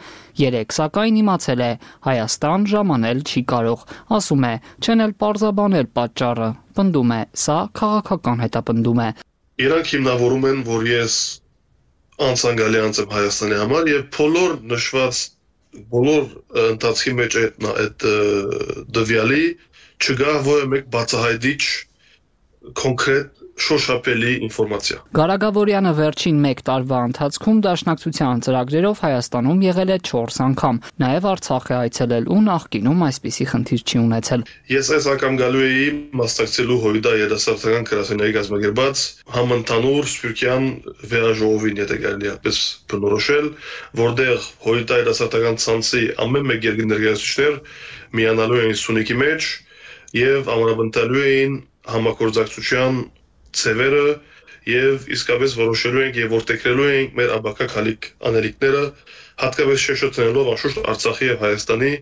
Երեք սակայն իմացել է Հայաստան ժամանել չի կարող, ասում է, չեն էլ պարզաբանել պատճառը, պնդում է, սա քաղաքական հետապնդում է։ Իրանք հիմնավորում են, որ ես անցանկալի անձ եմ Հայաստանի համար եւ բոլոր ընթացքի մեջ այդ դվյալի չգա որևէ մեկ բացահայտիչ կոնկրետ շոշափելի ինֆորմացիա։ Գարագավորյանը վերջին 1 տարվա ընթացքում դաշնակցության ծրագրերով Հայաստանում եղել է 4 անգամ, նաև Արցախ է այցելել ու նախկինում այսպիսի խնդիր չի ունեցել։ Ես այս անգամ գալու էի մասնակցելու ՀՅԴ երիտասարդական գրասենյակի կազմակերպած համընդհանուր Սփյուռքյան վերաժողովին, եթե կարելի է այդպես բնորոշել, որտեղ ՀՅԴ երիտասարդական ցանցի ամեն մեկ երկրի ներկայացուցիչներ միանալու էին Սյունիքի մեջ եւ ամրապնդելու էին համագործակցության ծևերը եւ իսկապես որոշելու ենք եւ որտեղրելու ենք մեր աբակակալիք անելիքները հատկապես շեշտելով անշուշտ Արցախի եւ Հայաստանի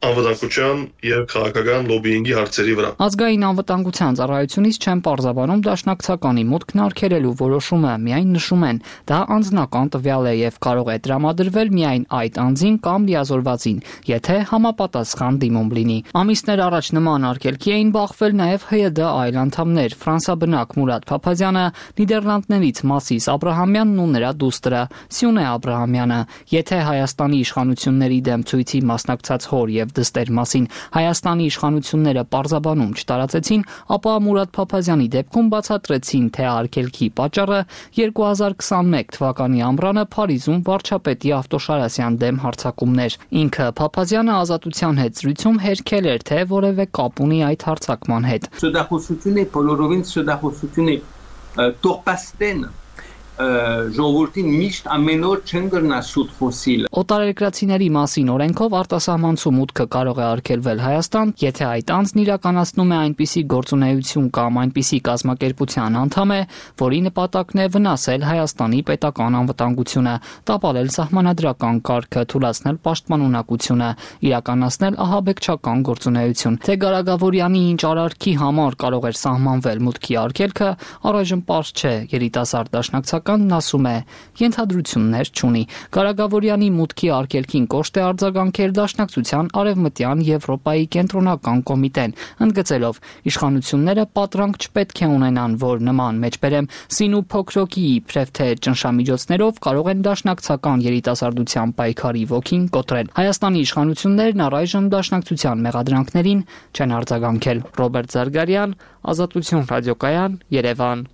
անվտանգության եւ քաղաքական լոբինգի հարցերի վրա։ Ազգային անվտանգության ծառայությունից չեն պարզաբանում դաշնակցականի մուտքն արգելելու որոշումը, միայն նշում են, դա անձնական տվյալ է եւ կարող է տրամադրվել միայն այդ անձին կամ լիազորվածին, եթե համապատասխան դիմում լինի։ Ամիսներ առաջ նման արգելքի էին բախվել նաեւ ՀՅԴ այլ անդամներ՝ ֆրանսաբնակ Մուրադ Փափազյանը, Նիդերլանդներից Մասիս Աբրահամյանն ու նրա դուստրը Սյունե Աբրահամյանը։ Եթե Հայաստանի իշխանությունների դեմ ցույցի մասնակցած հոր եւ դստեր մասին Հայաստանի իշխանությունները պարզաբանում չտարածեցին, ապա Մուրադ Փափազյանի դեպքում բացատրեցին, թե արգելքի պատճառը 2021 թվականի ամռանը Փարիզում վարչապետի Ավտոշարասյան դեմ հարձակումներ։ Ինքը Փափազյանը Ազատության հետ զրույցում հերքել էր, թե որևէ կապ ունի այդ հարձակման հետ։ Սուդախոսություն է, բոլորովին սուդախոսություն է, տողպաստեն ժողովրդին միշտ ամեն օր չեն գրնա սուտ խոսիլ։ Օտարերկրացիների մասին օրենքով արտասահմանցու մուտքը կարող է արգելվել Հայաստան, եթե այդ անձն իրականացնում է այնպիսի գործունեություն կամ այնպիսի կազմակերպության անդամ է, որի նպատակն է վնասել Հայաստանի պետական անվտանգությունը, տապալել սահմանադրական կարգը, թուլացնել պաշտպանունակությունը, իրականացնել ահաբեկչական գործունեություն։ Թե Գարագավորյանի ինչ արարքի համար կարող էր սահմանվել մուտքի արգելքը, առայժմ պարզ չէ։ Երիտասարդ դաշնակցականն ասում է, ենթադրություններ չունի։ Գարագավորյանի մուտքի արգելքին կոշտ է արձագանքել Դաշնակցության Արևմտյան Եվրոպայի կենտրոնական կոմիտեն, ընդգծելով, իշխանությունները պատրանք չպետք է ունենան, որ նման մեջբերեմ սին ու փոքրոկի իբրև թե ճնշամիջոցներով կարող են դաշնակցական երիտասարդության պայքարի ոգին կոտրել։ Հայաստանի իշխանություններն առայժմ Դաշնակցության մեղադրանքներին չեն արձագանքել։ Ռոբերտ Զարգարյան, Ազատություն ռադիոկայան, Երևան։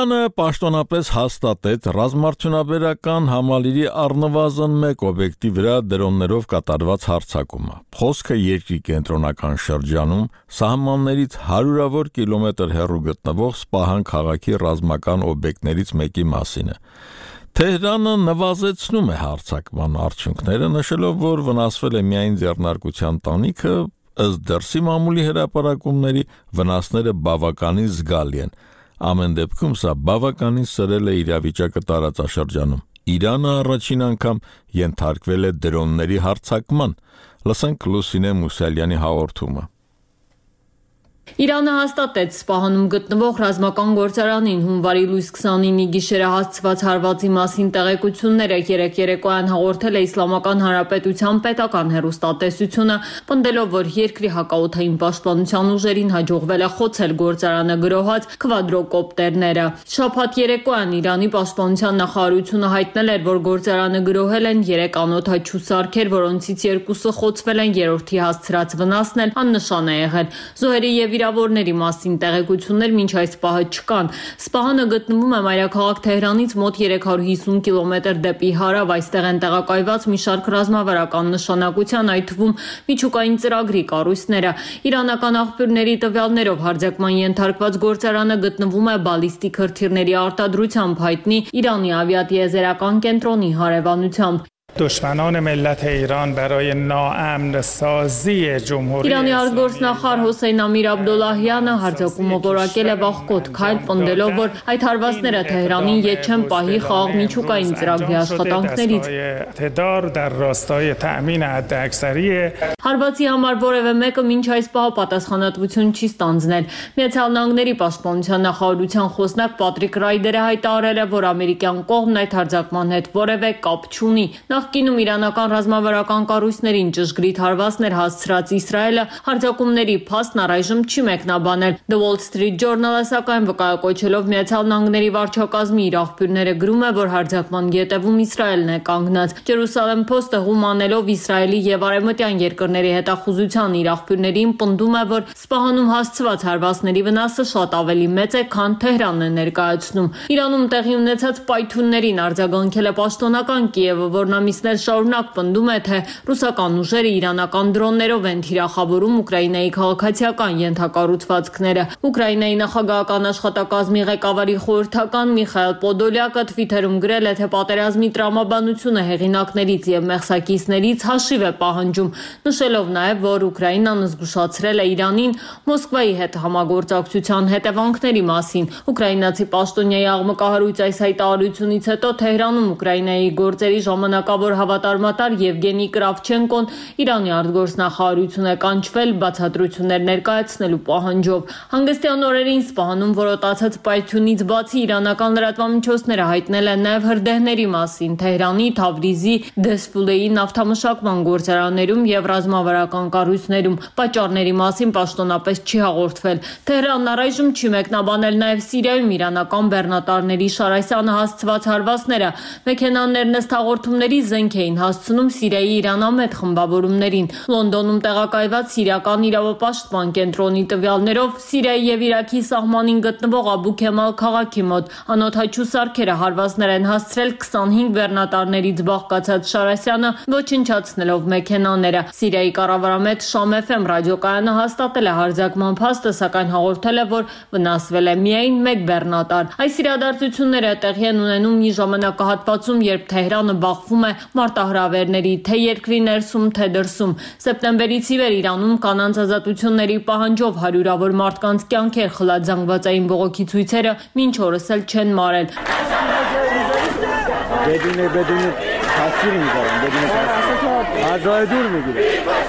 Իրանը պաշտոնապես հաստատեց ռազմարդյունաբերական համալիրի առնվազն մեկ օբյեկտի վրա դրոններով կատարված հարձակումը։ Խոսքը երկրի կենտրոնական շրջանում սահմաններից հարյուրավոր կիլոմետր հեռու գտնվող Սպահան քաղաքի ռազմական օբյեկտներից մեկի մասին է։ Թեհրանը նվազեցնում է հարձակման արդյունքները, նշելով, որ վնասվել է միայն ձեռնարկության տանիքը, ըստ դրսի մամուլի հրապարակումների վնասները բավականին զգալի են։ Ամեն դեպքում սա բավականին սրել է իրավիճակը տարածաշրջանում։ Իրանը առաջին անգամ ենթարկվել է դրոնների հարձակման։ Լսենք Լուսինե Մուսալյանի հաղորդումը։ Իրանը հաստատեց Սպահանում գտնվող ռազմական գործարանին հունվարի լույս 29-ի գիշերը հասցված հարվածի մասին տեղեկությունները երեկ երեկոյան հաղորդել է Իսլամական Հանրապետության պետական հեռուստատեսությունը, պնդելով, որ երկրի հակաօդային պաշտպանության ուժերին հաջողվել է խոցել գործարանը գրոհած քվադրոկոպտերները։ Շաբաթ երեկոյան Իրանի պաշտպանության նախարարությունը հայտնել էր, որ գործարանը գրոհել են 3 անօդաչու սարքեր, որոնցից 2-ը խոցվել են, երրորդի հասցրած վնասն էլ աննշան է եղել։ Զոհերի եւ վիրավորների մասին տեղեկություններ մինչ այս պահը չկան։ Սպահանը գտնվում է մայրաքաղաք Թեհրանից մոտ 350 կիլոմետր դեպի հարավ, այստեղ են տեղակայված մի շարք ռազմավարական նշանակության, այդ թվում միջուկային ծրագրի կառույցները։ Իրանական աղբյուրների տվյալներով հարձակման ենթարկված գործարանը գտնվում է բալիստիկ հրթիռների արտադրությամբ հայտնի Իրանի ավիատիեզերական կենտրոնի հարևանությամբ։ دشمنان ملت ایران برای ناامن سازی جمهوری Իրանի արտգործնախարար Հոսեյն Ամիր Աբդոլլահյանը հարձակումը որակել է վաղկոտ քայլ, պնդելով, որ այդ հարվածները Թեհրանին ետ չեն պահի խաղաղ միջուկային ծրագրի աշխատանքներից։ Հարվածի համար որևէ մեկը մինչ այս պահը պատասխանատվություն չի ստանձնել։ Միացյալ Նահանգների պաշտպանության նախարարության խոսնակ Պատրիկ Ռայդերը հայտարարել է, որ ամերիկյան կողմն այդ հարձակման հետ որևէ կապ չունի։ Նախկինում իրանական ռազմավարական կառույցներին ճշգրիտ հարվածներ հասցրած Իսրայելը հարձակումների փաստն առայժմ չի մեկնաբանել։ The Wall Street Journal-ը սակայն վկայակոչելով Միացյալ Նահանգների վարչակազմի իր աղբյուրները գրում է, որ հարձակման ետևում Իսրայելն է կանգնած։ Jerusalem Post-ը հումանելով Իսրայելի եւ արևմտյան երկրների հետախուզության իր աղբյուրներին պնդում է, որ Սպահանում հասցված հարվածների վնասը շատ ավելի մեծ է, քան Թեհրանն է ներկայացնում։ Իրանում տեղի ունեցած պայթյուններին արձագանքել է պաշտոնական Կիևը, որն ամիսներ շարունակ պնդում է, թե ռուսական ուժերը իրանական դրոններով են թիրախավորում Ուկրաինայի քաղաքացիական ենթակառուցվածքները։ Ուկրաինայի նախագահական աշխատակազմի ղեկավարի խորհրդական Միխայել Պոդոլյակը Twitter-ում գրել է, թե պատերազմի տրամաբանությունը հեղինակներից եւ մեղսակիցներից հաշիվ է պահանջում, նշելով նաեւ, որ Ուկրաինան զգուշացրել է Իրանին Մոսկվայի հետ համագործակցության հետևանքների մասին։ Ուկրաինացի պաշտոնյայի աղմկահարույց այս հայտարարությունից հետո Թեհրանում Ուկրաինայի գործերի ժամանակավոր հավատարմատար Եվգենի Կրավչենկոն Իրանի արտգործնախարարություն է կանչվել բացատրություններ ներկայացնելու պահանջով։ Հանգստյան օրերին Սպահանում որոտացած պայթյունից բացի իրանական լրատվամիջոցները հայտնել են նաև հրդեհների մասին Թեհրանի, Թավրիզի, Դեսֆուլեի նավթամշակման գործարաններում եւ ռազմավարական կառույցներում։ Պատճառների մասին պաշտոնապես չի հաղորդվել։ Թեհրանն առայժմ չի մեկնաբանել նաև Սիրիայում իրանական բեռնատարների Շարասյանը հասցված հարվածները։ Մեքենաներն ըստ հաղորդումների զենք էին հասցնում Սիրիայի իրանամետ խմբավորումներին։ Լոնդոնում տեղակայված սիրիական իրավապաշտպան կենտրոնի տվյալներով Սիրիայի եւ Իրաքի սահմանին գտնվող Աբու Քեմալ քաղաքի մոտ անօդաչու սարքերը հարվածներ են հասցրել 25 բեռնատարներից բաղկացած Շարասյանը, ոչնչացնելով մեքենաները։ Սիրիայի կառավարամետ Շամ FM ռադիոկայանը հաստատել է հարձակման փաստը, սակայն հաղորդել է, որ վնասվել է միայն մեկ բեռնատար։ Այս իրադարձությունները տեղի են ունենում մի ժամանակահատվածում, երբ Թեհրանը բախվում է մարտահրավերների թե երկրի ներսում, թե դրսում։ Սեպտեմբերից ի վեր Իրանում կանանց ազատությունների պահանջով հարյուրավոր մարդկանց կյանքեր խլած զանգվածային բողոքի ցույցերը մինչ օրս էլ չեն մարել։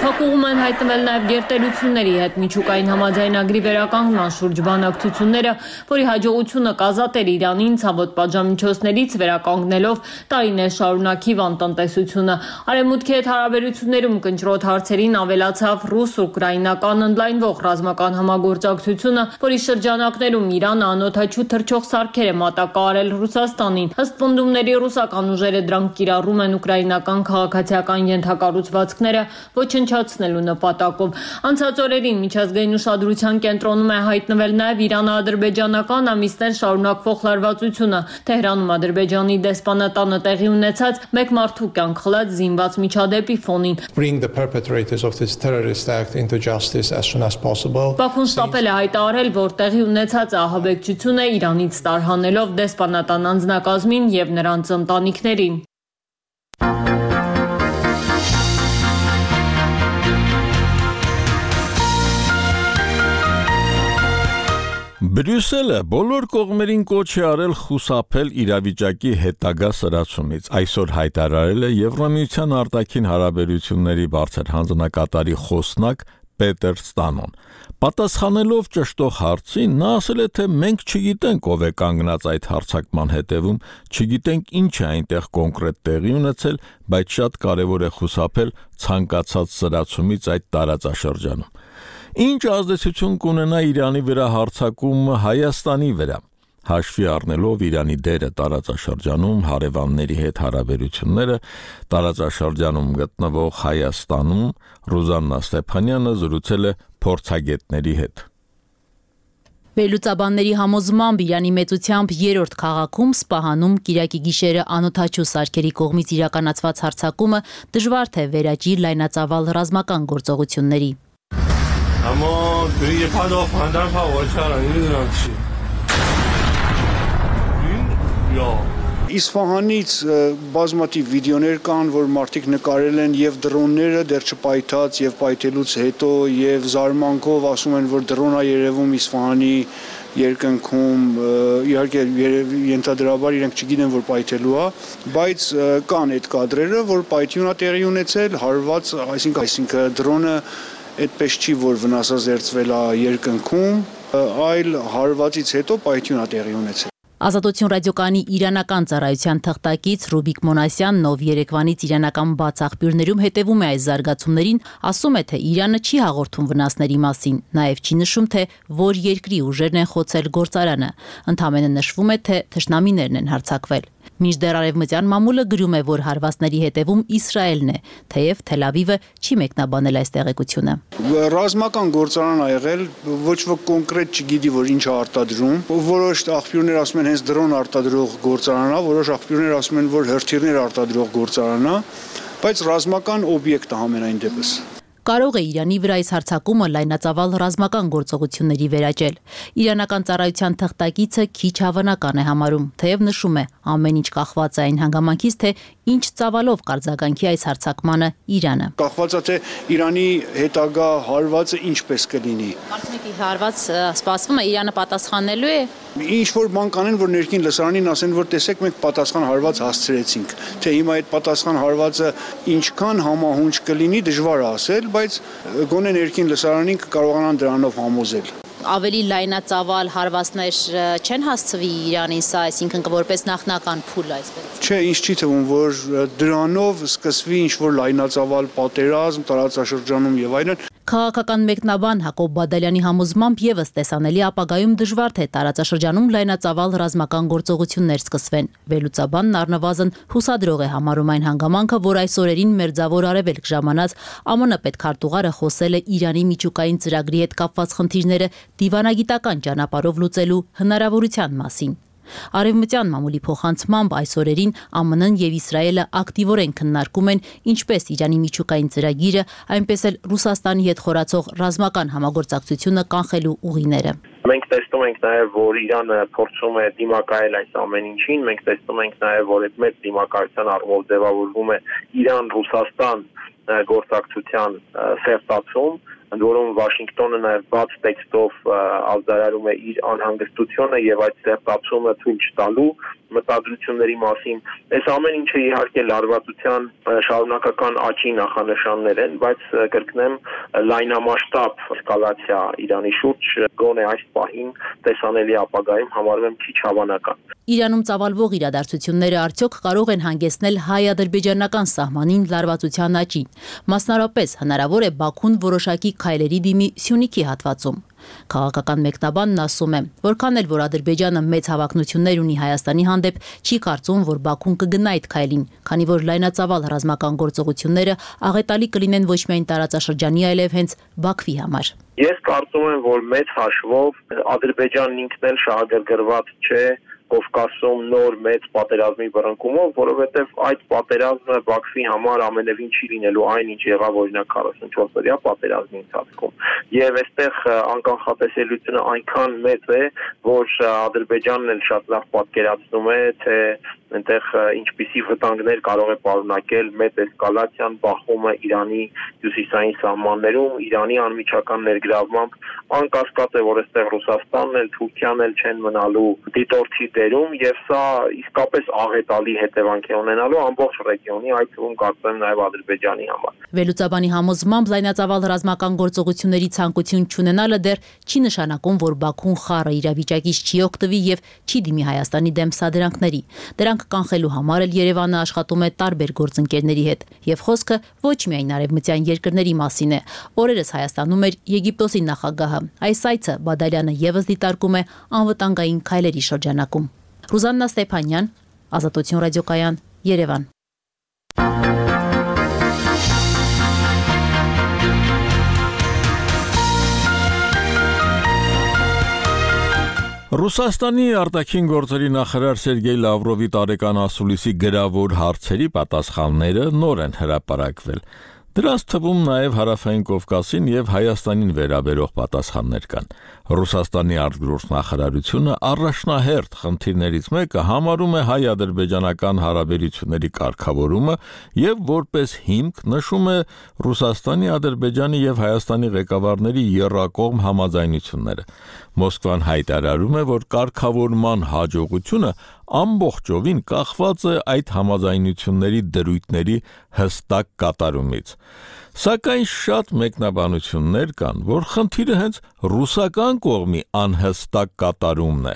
Հակուղում են հայտնվել նաև գերտերությունների հետ միջուկային համաձայնագրի վերականգնման շուրջ բանակցությունները, որի հաջողությունը կազատեր Իրանին ցավոտ պատժամիջոցներից վերականգնելով տարիներ շարունակ հիվանդ տնտեսությունը։ Արևմուտքի հետ հարաբերություններում կնճռոտ հարցերին ավելացավ ռուս-ուկրաինական ընդլայնվող ռազմական համագործակցությունը, որի շրջանակներում Իրանը անօդաչու թռչող սարքեր է մատակարարել Ռուսաստանին։ Ըստ պնդումների ռուսական ուժերը դրանք կիրառում են են ուկրաինական քաղաքացիական ենթակառուցվածքները ոչնչացնելու նպատակով։ Անցած օրերին միջազգային ուշադրության կենտրոնում է հայտնվել նաև Իրано-ադրբեջանական ամիսներ շարունակվող լարվածությունը։ Թեհրանում Ադրբեջանի դեսպանատանը տեղի ունեցած մեկ մարդու կյանք խլած զինված միջադեպի ֆոնին։ Բաքուն շտապել է հայտարարել, որ տեղի ունեցած ահաբեկչությունը Իրանից տարհանելով դեսպանատան անձնակազմին եւ նրանց ընտանիքներին։ Բրյուսելը բոլոր կողմերին կոչ է արել խուսափել իրավիճակի հետագա սրացումից։ Այսօր հայտարարել է Եվրամիության արտաքին հարաբերությունների բարձր հանձնակատարի խոսնակ Պետեր Ստանոն։ Պատասխանելով ճշտող հարցին, նա ասել է, թե մենք չգիտենք ով է կանգնած այդ հարձակման հետևում, չգիտենք ինչ է այնտեղ կոնկրետ տեղի ունեցել, բայց շատ կարևոր է խուսափել ցանկացած սրացումից այդ տարածաշրջանում։ Ինչ ազդեցություն կունենա Իրանի վրա հարձակումը Հայաստանի վրա, հաշվի առնելով Իրանի դերը տարածաշրջանում, հարևանների հետ հարաբերությունները, տարածաշրջանում գտնվող Հայաստանում Ռուզաննա Ստեփանյանը զրուցել է փորձագետների հետ։ Վերլուծաբանների համոզմամբ Իրանի մեծությամբ երրորդ քաղաքում Սպահանում Կիրակի գիշերը անօդաչու սարքերի կողմից իրականացված հարձակումը դժվար թե վերաճի լայնածավալ ռազմական գործողությունների։ اما یه پا فندر هوا کردن نمیدونم چی یا Իսֆահանից բազմաթիվ վիդեոներ կան, որ մարդիկ նկարել են եւ դրոնները դեռ չպայթած եւ պայթելուց հետո եւ զարմանքով ասում են, որ դրոնա երևում Իսֆահանի երկնքում, իհարկե ենթադրաբար իրենք չգիտեն, որ պայթելու է, բայց կան այդ կադրերը, որ պայթյունա տեղի ունեցել, հարված, այսինքն դրոնը այդպես չի, որ վնասազերծվել է երկնքում, այլ հարվածից հետո պայթյուն է տեղի ունեցել։ Ազատություն ռադիոկայանի իրանական ծառայության թղթակից Ռուբիկ Մոնասյանն, ով Երևանից իրանական բաց աղբյուրներում հետևում է այս զարգացումներին, ասում է, թե Իրանը չի հաղորդում վնասների մասին, նաև չի նշում, թե որ երկրի ուժերն են խոցել գործարանը, ընդամենը նշվում է, թե թշնամիներն են հարձակվել։ Մինչդեռ արևմտյան մամուլը գրում է, որ հարվածների հետևում Իսրայելն է, թեև Թել Ավիվը չի մեկնաբանել այս տեղեկությունը։ Ռազմական գործարան ա եղել, ոչ ոք կոնկրետ չգիտի, որ ինչ է արտադրում։ Որոշ աղբյուրներ ասում են հենց դրոն արտադրող գործարան է, որոշ աղբյուրներ ասում են, որ հրթիռներ արտադրող գործարան է, բայց ռազմական օբյեկտ է համենայն դեպս։ Կարող է Իրանի վրա այս հարձակումը լայնածավալ ռազմական գործողությունների վերաճել։ Իրանական ծառայության թղթակիցը քիչ հավանական է համարում, թեև նշում է, ամեն ինչ կախված է այն հանգամանքից, թե ինչ ծավալով կարձագանքի այս հարձակմանը Իրանը։ Կախված է, թե Իրանի հետագա հարվածը ինչպես կլինի։ Մարդմիկի հարված սպասվում է Իրանը պատասխանելու է։ Ինչ որ բան կանեն, որ ներքին լսարանին ասեն, որ տեսեք մենք պատասխան հարված հասցրեցինք, թե հիմա այդ պատասխան հարվածը ինչքան համահունչ կլինի, դժվար է ասել, բայց գոնե ներքին լսարանին կկարողանան դրանով համոզել։ Ավելի լայնածավալ հարվածներ չեն հասցվի Իրանին սա, այսինքն որպես նախնական փուլ այսպես։ Չէ, ինձ չի թվում, որ դրանով սկսվի ինչ-որ լայնածավալ պատերազմ տարածաշրջանում եւ այլն։ Քաղաքական մեկնաբան Հակոբ Բադալյանի համոզմամբ եւս տեսանելի ապագայում դժվար թե տարածաշրջանում լայնածավալ ռազմական գործողություններ սկսվեն։ Վերլուծաբանն առնվազն հուսադրող է համարում այն հանգամանքը, որ այս օրերին Մերձավոր Արևելք ժամանած ԱՄՆ պետքարտուղարը խոսել է Իրանի միջուկային ծրագրի հետ կապված խնդիրները դիվանագիտական ճանապարհով լուծելու հնարավորության մասին։ Արևմտյան մամուլի փոխանցմամբ այս օրերին ԱՄՆ-ն եւ Իսրայելը ակտիվորեն քննարկում են ինչպես Իրանի միջուկային ծրագիրը, այնպես էլ Ռուսաստանի հետ խորացող ռազմական համագործակցությունը կանխելու ուղիները։ Մենք տեսնում ենք նաև, որ Իրանը փորձում է դիմակայել այս ամեն ինչին, մենք տեսնում ենք նաև, որ այդ մեծ դիմակայության առումով ձևավորվում է Իրան-Ռուսաստան գործակցության սերտացում, ընդ որում Վաշինգտոնը նաև բաց տեքստով արձանագրում է իր անհանգստությունը եւ այդ սերտացումը թույլ չտալու մտադրությունների մասին։ Այս ամեն ինչը իհարկե լարվածության շարունակական աճի նախանշաններ են, բայց կրկնեմ լայնամասշտաբ էսկալացիա Իրանի շուրջ գոնե այս պահին տեսանելի ապագայում համարվում քիչ հավանական։ Իրանում ծավալվող իրադարձությունները արդյոք կարող են հանգեցնել հայ-ադրբեջանական սահմանին լարվածության աճին։ Մասնարարապես հնարավոր է Բաքուն որոշակի քայլերի դիմի Սյունիքի հատվածում։ Քաղաքական մեկնաբանն ասում է, որքան էլ որ Ադրբեջանը մեծ հավակնություններ ունի Հայաստանի հանդեպ չի կարծում, որ Բաքուն կգնա այդ քայլին, քանի որ լայնածավալ ռազմական գործողությունները աղետալի կլինեն ոչ միայն տարածաշրջանի, այլև հենց Բաքվի համար։ Ես կարծում եմ, որ մեծ հաշվով Ադրբեջանն ինքն էլ շահագրգռված չէ Կովկասում նոր մեծ պատերազմի բռնկումով, որովհետև այդ պատերազմը Բաքվի համար ամենևին չի լինելու այն, ինչ եղավ օրինակ 44-օրյա պատերազմի ընթացքում։ Եվ այստեղ անկանխատեսելիությունը այնքան մեծ է, որ Ադրբեջանն էլ շատ լավ պատկերացնում է, թե այնտեղ ինչպիսի վտանգներ կարող է պարունակել մեծ էսկալացիան, բախումը Իրանի հյուսիսային սահմաններում, Իրանի անմիջական ներգրավմամբ, անկասկած է, որ այստեղ Ռուսաստանն էլ, Թուրքիան էլ չեն մնալու դիտորդի դերում, եւ սա իսկապես աղետալի հետևանք է ունենալու ամբողջ ռեգիոնի, այդ թվում կարծում եմ նաեւ Ադրբեջանի համար։ Վերլուծաբանի համոզմամբ լայնածավալ ռազմական գործողությունների ցանկություն չունենալը դեռ չի նշանակում, որ Բաքուն խառը իրավիճակից չի օգտվի եւ չի դիմի Հայաստանի դեմ սադրանքների։ Դրանք կանխելու համար էլ Երևանը աշխատում է տարբեր գործընկերների հետ, եւ խոսքը ոչ միայն արևմտյան երկրների մասին է։ Օրերս Հայաստանում էր Եգիպտոսի նախագահը։ Այս այցը Բադալյանը եւս դիտարկում է անվտանգային քայլերի շրջանակում։ Ռուզաննա Ստեփանյան, Ազատություն ռադիոկայան, Երևան։ Ռուսաստանի արտաքին գործերի նախարար Սերգեյ Լավրովի տարեկան ասուլիսի գրավոր հարցերի պատասխանները նոր են հրապարակվել։ Դրանց թվում նաև Հարավային Կովկասին եւ Հայաստանին վերաբերող պատասխաններ կան։ Ռուսաստանի արտգործնախարարությունը առաջնահերթ խնդիրներից մեկը համարում է հայ-ադրբեջանական հարաբերությունների կարգավորումը եւ որպես հիմք նշում է Ռուսաստանի, Ադրբեջանի եւ Հայաստանի ղեկավարների եռակողմ համաձայնությունները։ Մոսկվան հայտարարում է, որ կարգավորման հաջողությունը ամբողջովին կախված է այդ համաձայնությունների դրույթների հստակ կատարումից։ Սակայն շատ մեկնաբանություններ կան, որ խնդիրը հենց ռուսական կողմի անհստակ կատարումն է,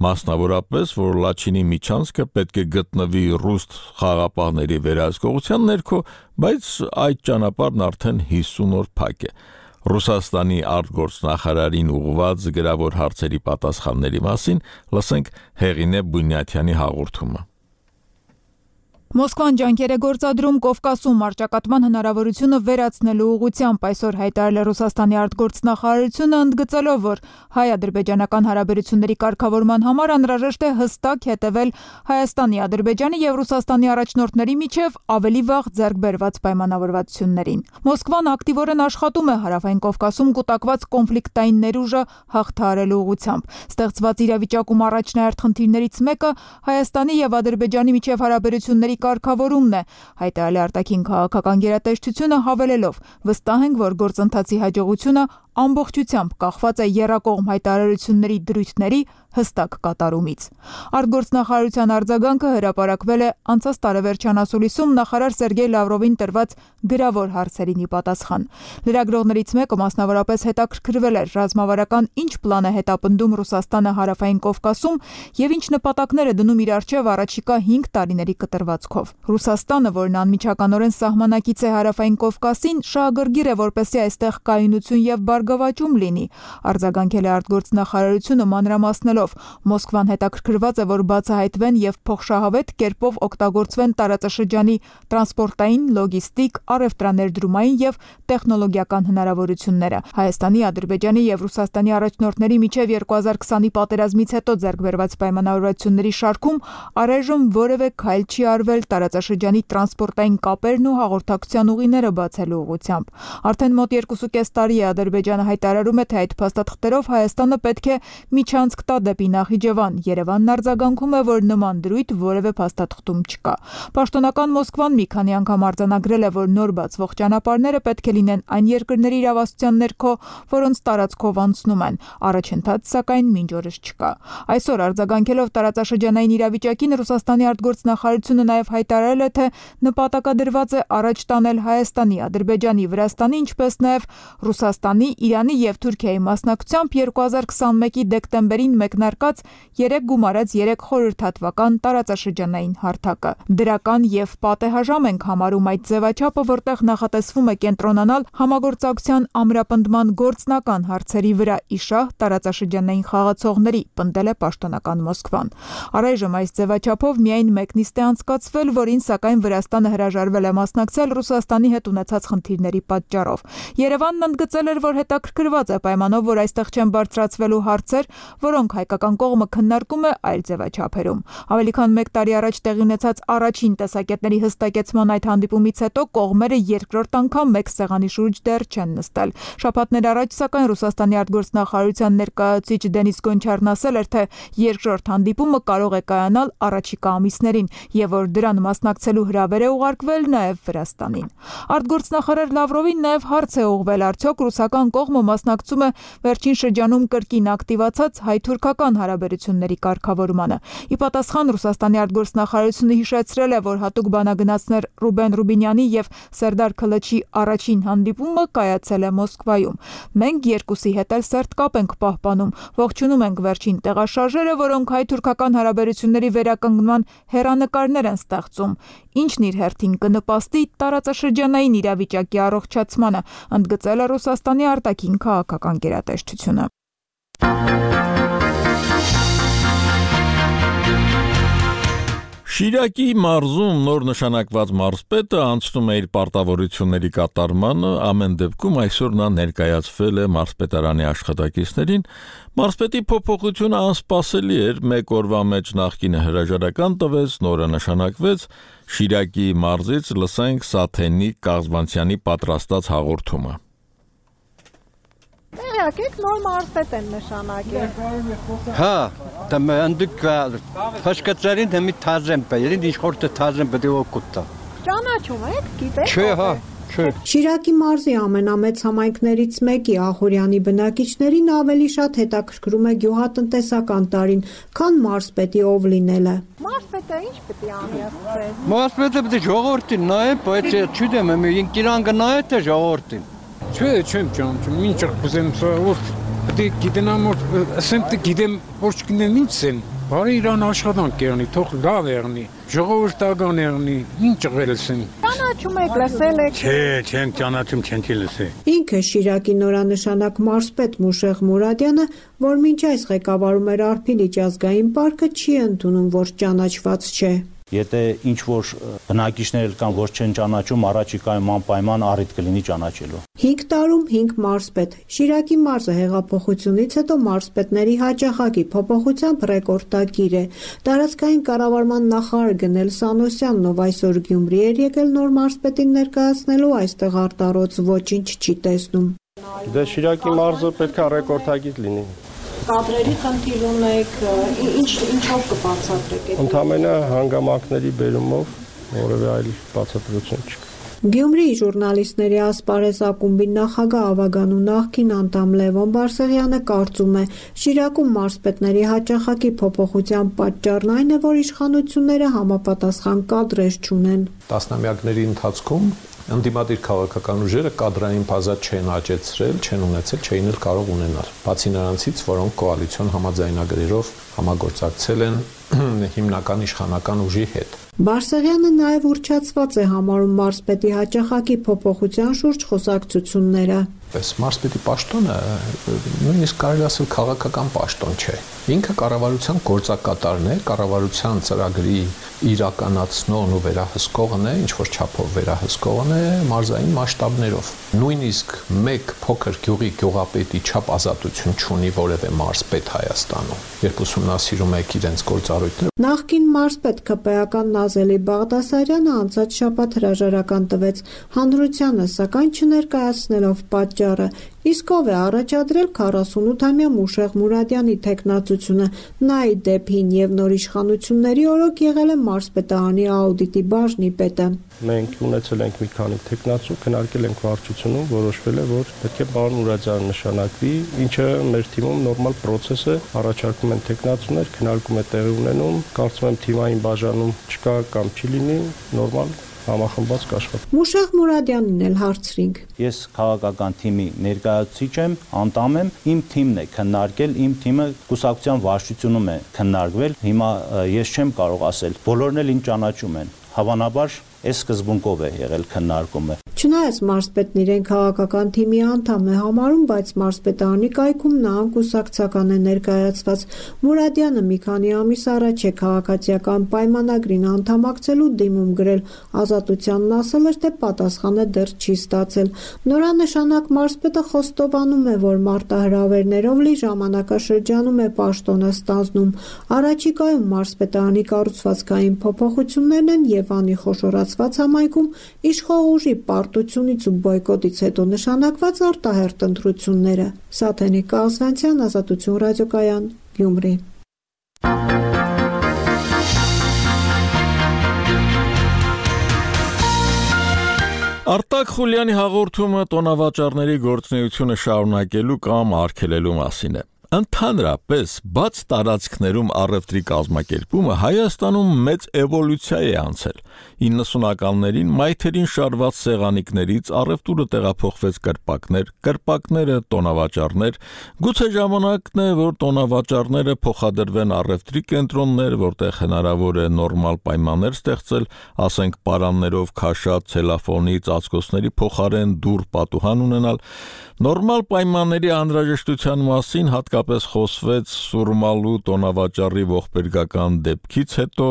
մասնավորապես, որ Լաչինի միջանցքը պետք է գտնվի ռուս խաղաղապահների վերահսկողության ներքո, բայց այդ ճանապարհն արդեն 50 օր փակ է։ Ռուսաստանի արտգործնախարարին ուղղված գրավոր հարցերի պատասխանների մասին լսենք Հեղինե Բունյաթյանի հաղորդումը։ Մոսկվան ջանքեր է գործադրում Կովկասում առճակատման հնարավորությունը վերացնելու ուղղությամբ, այսօր հայտարարել է Ռուսաստանի արտգործնախարարությունը, ընդգծելով, որ հայ-ադրբեջանական հարաբերությունների կարգավորման համար անհրաժեշտ է հստակ հետևել Հայաստանի, Ադրբեջանի եւ Ռուսաստանի առաջնորդների միջև ավելի վաղ ձեռք բերված պայմանավորվածություններին։ Մոսկվան ակտիվորեն աշխատում է Հարավային Կովկասում կուտակված կոնֆլիկտային ներուժը հաղթահարելու ուղղությամբ։ Ստեղծված իրավիճակում առաջնահերթ խնդիրներից մեկը Հայաստանի եւ Ադրբեջանի միջև հարաբերությունների կարգավորումն է, հայտարարել է արտաքին քաղաքական գերատեսչությունը, հավելելով. վստահ ենք, որ գործընթացի հաջողությունը ամբողջությամբ կախված է եռակողմ հայտարարությունների դրույթների հստակ կատարումից։ Արտգործնախարարության արձագանքը հրապարակվել է անցած տարեվերջյան ասուլիսում նախարար Սերգեյ Լավրովին տրված գրավոր հարցերին ի պատասխան։ Լրագրողներից մեկը մասնավորապես հետաքրքրվել էր ռազմավարական ինչ պլան է հետապնդում Ռուսաստանը Հարավային Կովկասում եւ ինչ նպատակներ է դնում իր առջև առաջիկա 5 տարիների կտրվածքով։ Ռուսաստանը, որն անմիջականորեն սահմանակից է Հարավային Կովկասին, շահագրգիռ է, որպեսզի այստեղ կայունություն եւ բարգավաճում լինի, արձագանքել է արտգործնախարարությունը մանրամասնելով. Մոսկվան հետաքրքրված է, որ բացահայտվեն եւ փոխշահավետ կերպով օգտագործվեն տարածաշրջանի տրանսպորտային, լոգիստիկ, առևտրաներդրումային եւ տեխնոլոգիական հնարավորությունները։ Հայաստանի, Ադրբեջանի եւ Ռուսաստանի առաջնորդների միջև 2020-ի պատերազմից հետո ձեռք բերված պայմանավորվածությունների շարքում առայժմ որևէ քայլ չի արվել տարածաշրջանի տրանսպորտային կապերն ու հաղորդակցության ուղիները բացելու ուղղությամբ։ Արդեն մոտ 2.5 տարի է Ադրբեջանը հայտարարում է, թե այդ փաստաթղթերով Հայաստանը պետք է միջանցք տա դեպի Նախիջևան։ Երևանն արձագանքում է, որ նման դրույթ որևէ փաստաթղթում չկա։ Պաշտոնական Մոսկվան մի քանի անգամ արձանագրել է, որ նոր բացվող ճանապարհները պետք է լինեն այն երկրների իրավասության ներքո, որոնց տարածքով անցնում են։ Առաջընթաց, սակայն մինչ օրս չկա։ Այսօր արձագանքելով տարածաշրջանային իրավիճակին Ռուսաստանի արտգործնախարարությունը նաև հայտարարել է, թե նպատակադրված է առաջ տանել Հայաստանի, Ադրբեջանի, Վրաստանի, ինչպես նաև Ռուսաստանի Իրանի եւ Թուրքիայի մասնակցությամբ 2021-ի դեկտեմբերին մեկնարկած 3 գումարած 3 խորհրդատվական տարածաշրջանային հարթակը։ Դրական եւ պատեհաժամ ենք համարում այդ ձևաչափը, որտեղ նախատեսվում է կենտրոնանալ համագործակցության ամրապնդման գործնական հարցերի վրա իշահ տարածաշրջանային խաղացողների, պնդել է պաշտոնական Մոսկվան։ Առայժմ այս ձևաչափով միայն մեկ նիստ է անցկացվել, որին սակայն Վրաստանը հրաժարվել է մասնակցել Ռուսաստանի հետ ունեցած խնդիրների պատճառով։ Երևանն ընդգծել էր, որ հետաքրքրված է պայմանով, որ այստեղ չեն բարձրացվելու հարցեր, որոնք հայկական կողմը քննարկում է այլ ձևաչափերում։ Ավելի քան 1 տարի առաջ տեղի ունեցած առաջին տեսակետների հստակեցման այդ հանդիպումից հետո կողմերը երկրորդ անգամ մեկ սեղանի շուրջ դեռ չեն նստել։ Շաբաթներ առաջ սակայն Ռուսաստանի արտգործնախարարության ներկայացուցիչ Դենիս Գոնչարն ասել էր, թե երկրորդ հանդիպումը կարող է կայանալ առաջիկա ամիսներին եւ որ դրան մասնակցելու հրավեր է ուղարկվել նաեւ Վրաստանին։ Արտգործնախարար Լավրովին նաեւ հարց է ուղղվել, արդյոք ռուսական կողմը մասնակցում է վերջին շրջանում կրկին ակտիվացած հայ-թուրքական հարաբերությունների կարգավորմանը։ Ի պատասխան Ռուսաստանի արտգործնախարարությունը հիշեցրել է, որ հատուկ բանագնացներ Ռուբեն Ռուբինյանի եւ Սերդար Քլչի առաջին հանդիպումը կայացել է Մոսկվայում։ Մենք երկուսի հետ էլ սերտ կապ ենք պահպանում, ողջունում ենք վերջին տեղաշարժերը, որոնք հայ-թուրքական հարաբերությունների վերականգնման հեռանկարներ են ստեղծում, ինչն իր հերթին կնպաստի տարածաշրջանային իրավիճակի առողջացմանը, ընդգծել է Ռուսաստանի արտաքին քաղաքական գերատեսչությունը։ Շիրակի մարզում նոր նշանակված մարզպետը անցնում է իր պարտավորությունների կատարմանը, ամեն դեպքում այսօր նա ներկայացվել է մարզպետարանի աշխատակիցներին։ Մարզպետի փոփոխությունը անսպասելի էր, մեկ օրվա մեջ նախկինը հրաժարական տվեց, նորը նշանակվեց։ Շիրակի մարզից լսենք Սաթենի Կաղզվանցյանի պատրաստած հաղորդումը։ Եկեք նոր մարզպետ են նշանակել։ Հա, դեմ ընդդուք փաշկացարին դեմի թազեմ բերին իշխորտը թազեմ բդի օկուտա։ Ճանաչում եք, գիտեք։ Չէ, հա, չէ։ Շիրակի մարզի ամենամեծ համայնքներից մեկի Ախուրյանի բնակիչներին ավելի շատ հետաքրքրում է գյուղատնտեսական տարին, քան մարզպետի ով լինելը։ Մարզպետը ինչ պետք է անի ասել։ Մարզպետը պետք է ժողովրդին նայե, բայց չգիտեմ, մենք կիրանգը նայե թե ժողովրդին։ Չէ, չեմ ճանաչում, ինչ կուզեմ սա որ պետք է գիտենամ որ ասեմ թե գիտեմ որ չգիտեմ ինչ են։ Բարի իրան աշխատանք եղնի, թող լավ եղնի, ժողովրդական եղնի, ինչ ղելսին։ Ճանաչում եք, լսել եք։ Չէ, չեմ ճանաչում, չեմ լսել։ Ինքը Շիրակի նորանշանակ մարզպետ Մուշեղ Մուրադյանը, որ մինչ այս ղեկավարում էր Արփիլիճ ազգային պարկը, չի ընդունում, որ ճանաչված չէ։ Եթե ինչ որ բնակիչներ կան, որ չեն ճանաչում, առաջիկայում անպայման առիթ կլինի ճանաչելու։ 5 տարում 5 մարզպետ։ Շիրակի մարզը հեղափոխությունից հետո մարզպետների հաճախակի փոփոխությամբ ռեկորդակիր է։ Տարածքային կառավարման նախարար Գնել Սանոսյանն, ով այսօր Գյումրի էր եկել նոր մարզպետին ներկայացնելու, այստեղ արտարոց ոչինչ չի տեսնում։ Դե Շիրակի մարզը պետք է ռեկորդակիր լինի։ Կադրերի խնդիր ունեք, ինչով կբացատրեք։ Ընդամենը հանգամանքների բերումով որևէ այլ բացատրություն չկա։ Գյումրիի ժուրնալիստների ասպարեզ ակումբի նախագահ Ավագանու նախկին անդամ Լևոն Բարսեղյանը կարծում է, Շիրակում մարզպետների հաճախակի փոփոխության պատճառն այն է, որ իշխանությունները համապատասխան կադրեր չունեն։ Տասնամյակների ընթացքում ընդդիմադիր քաղաքական ուժերը կադրային բազա չեն աճեցրել, չեն ունեցել, չէին էլ կարող ունենալ։ Բացի նրանցից, որոնք կոալիցիոն համաձայնագրերով համագործակցել են հիմնական իշխանական ուժի հետ։ Բարսեղյանը նաև ուռճացված է համարում մարզպետի հաճախակի փոփոխության շուրջ խոսակցությունները։ Մարզպետի պաշտոնը նույնիսկ կարելի ասել քաղաքական պաշտոն չէ։ Ինքը կառավարության գործակատարն է, կառավարության ծրագրի իրականացնողն ու վերահսկողն է, ինչ որ չափով վերահսկողն է մարզային մասշտաբներով։ Նույնիսկ մեկ փոքր գյուղի գյուղապետի չափ ազատություն չունի որևէ մարզպետ Հայաստանում, երբ ուսումնասիրում եք իրենց գործառույթները։ Նախկին մարզպետ ԿՊ-ական Նազելի Բաղդասարյանը անցած շաբաթ հրաժարական տվեց հանրությանը, սակայն չներկայացնելով պատճառը, իսկ ով է առաջադրել 48-ամյա Մուշեղ Մուրադյանի թեկնածությունը, նա ի դեպին եւ նոր իշխանությունների օրոք եղել է մարզպետարանի աուդիտի բաժնի պետը։ Մենք ունեցել ենք մի քանի թեկնածու, քննարկել ենք վարչությունում, որոշվել է, որ պետք է պարոն Մուրադյանը նշանակվի, ինչը մեր թիմում նորմալ process է, առաջարկում են թեկնածուներ, քննարկում է տեղի ունենում, կարծում եմ թիմային բաժանում չկա կամ չի լինի, նորմալ համախմբված կաշխատի։ Մուշեղ Մուրադյանին էլ հարցրինք։ Ես քաղաքական թիմի ներկայացուցիչ եմ, անդամ եմ, իմ թիմն է քննարկել, իմ թիմը կուսակցության վարչությունում է քննարկվել։ Հիմա ես չեմ կարող ասել, բոլորն էլ ինձ ճանաչում են։ Հավանաբար այս սկզբունքով է եղել քննարկումը։ Չնայած մարզպետն իրեն քաղաքական թիմի անդամ է համարում, բայց մարզպետարանի կայքում նա անկուսակցական է ներկայացված։ Մուրադյանը մի քանի ամիս առաջ է քաղաքացիական պայմանագրին անդամակցելու դիմում գրել, Ազատությանն ասել էր, թե պատասխանը դեռ չի ստացել։ Նորանշանակ մարզպետը խոստովանում է, որ մարտահրավերներով լի ժամանակաշրջանում է պաշտոնը ստանձնում։ Առաջիկայում մարզպետարանի կառուցվածքային փոփոխություններն են Եվանի խոշորացված համայնքում իշխող ուժի պարտությունից ու բոյկոտից հետո նշանակված արտահերթ ընտրությունները։ Սաթենիկ Կազվանցյան, Ազատություն ռադիոկայան, Գյումրի։ Արտակ Խուլյանի հաղորդումը տոնավաճառների գործունեությունը շարունակելու կամ արգելելու մասին է։ Ընդհանրապես, բաց տարածքներում առևտրի կազմակերպումը Հայաստանում մեծ էվոլյուցիա է անցել։ 90-ականներին մայթերին շարված սեղանիկներից առևտուրը տեղափոխվեց կրպակներ, կրպակները տոնավաճառներ, գուցե ժամանակն է, որ տոնավաճառները փոխադրվեն առևտրի կենտրոններ, որտեղ հնարավոր է նորմալ պայմաններ ստեղծել, ասենք պարաններով քաշած ցելոֆոնի ծածկոցների փոխարեն դուռ պատուհան ունենալ։ Նորմալ պայմանների անհրաժեշտության մասին հատկապես խոսվեց Սուրմալու տոնավաճառի ողբերգական դեպքից հետո,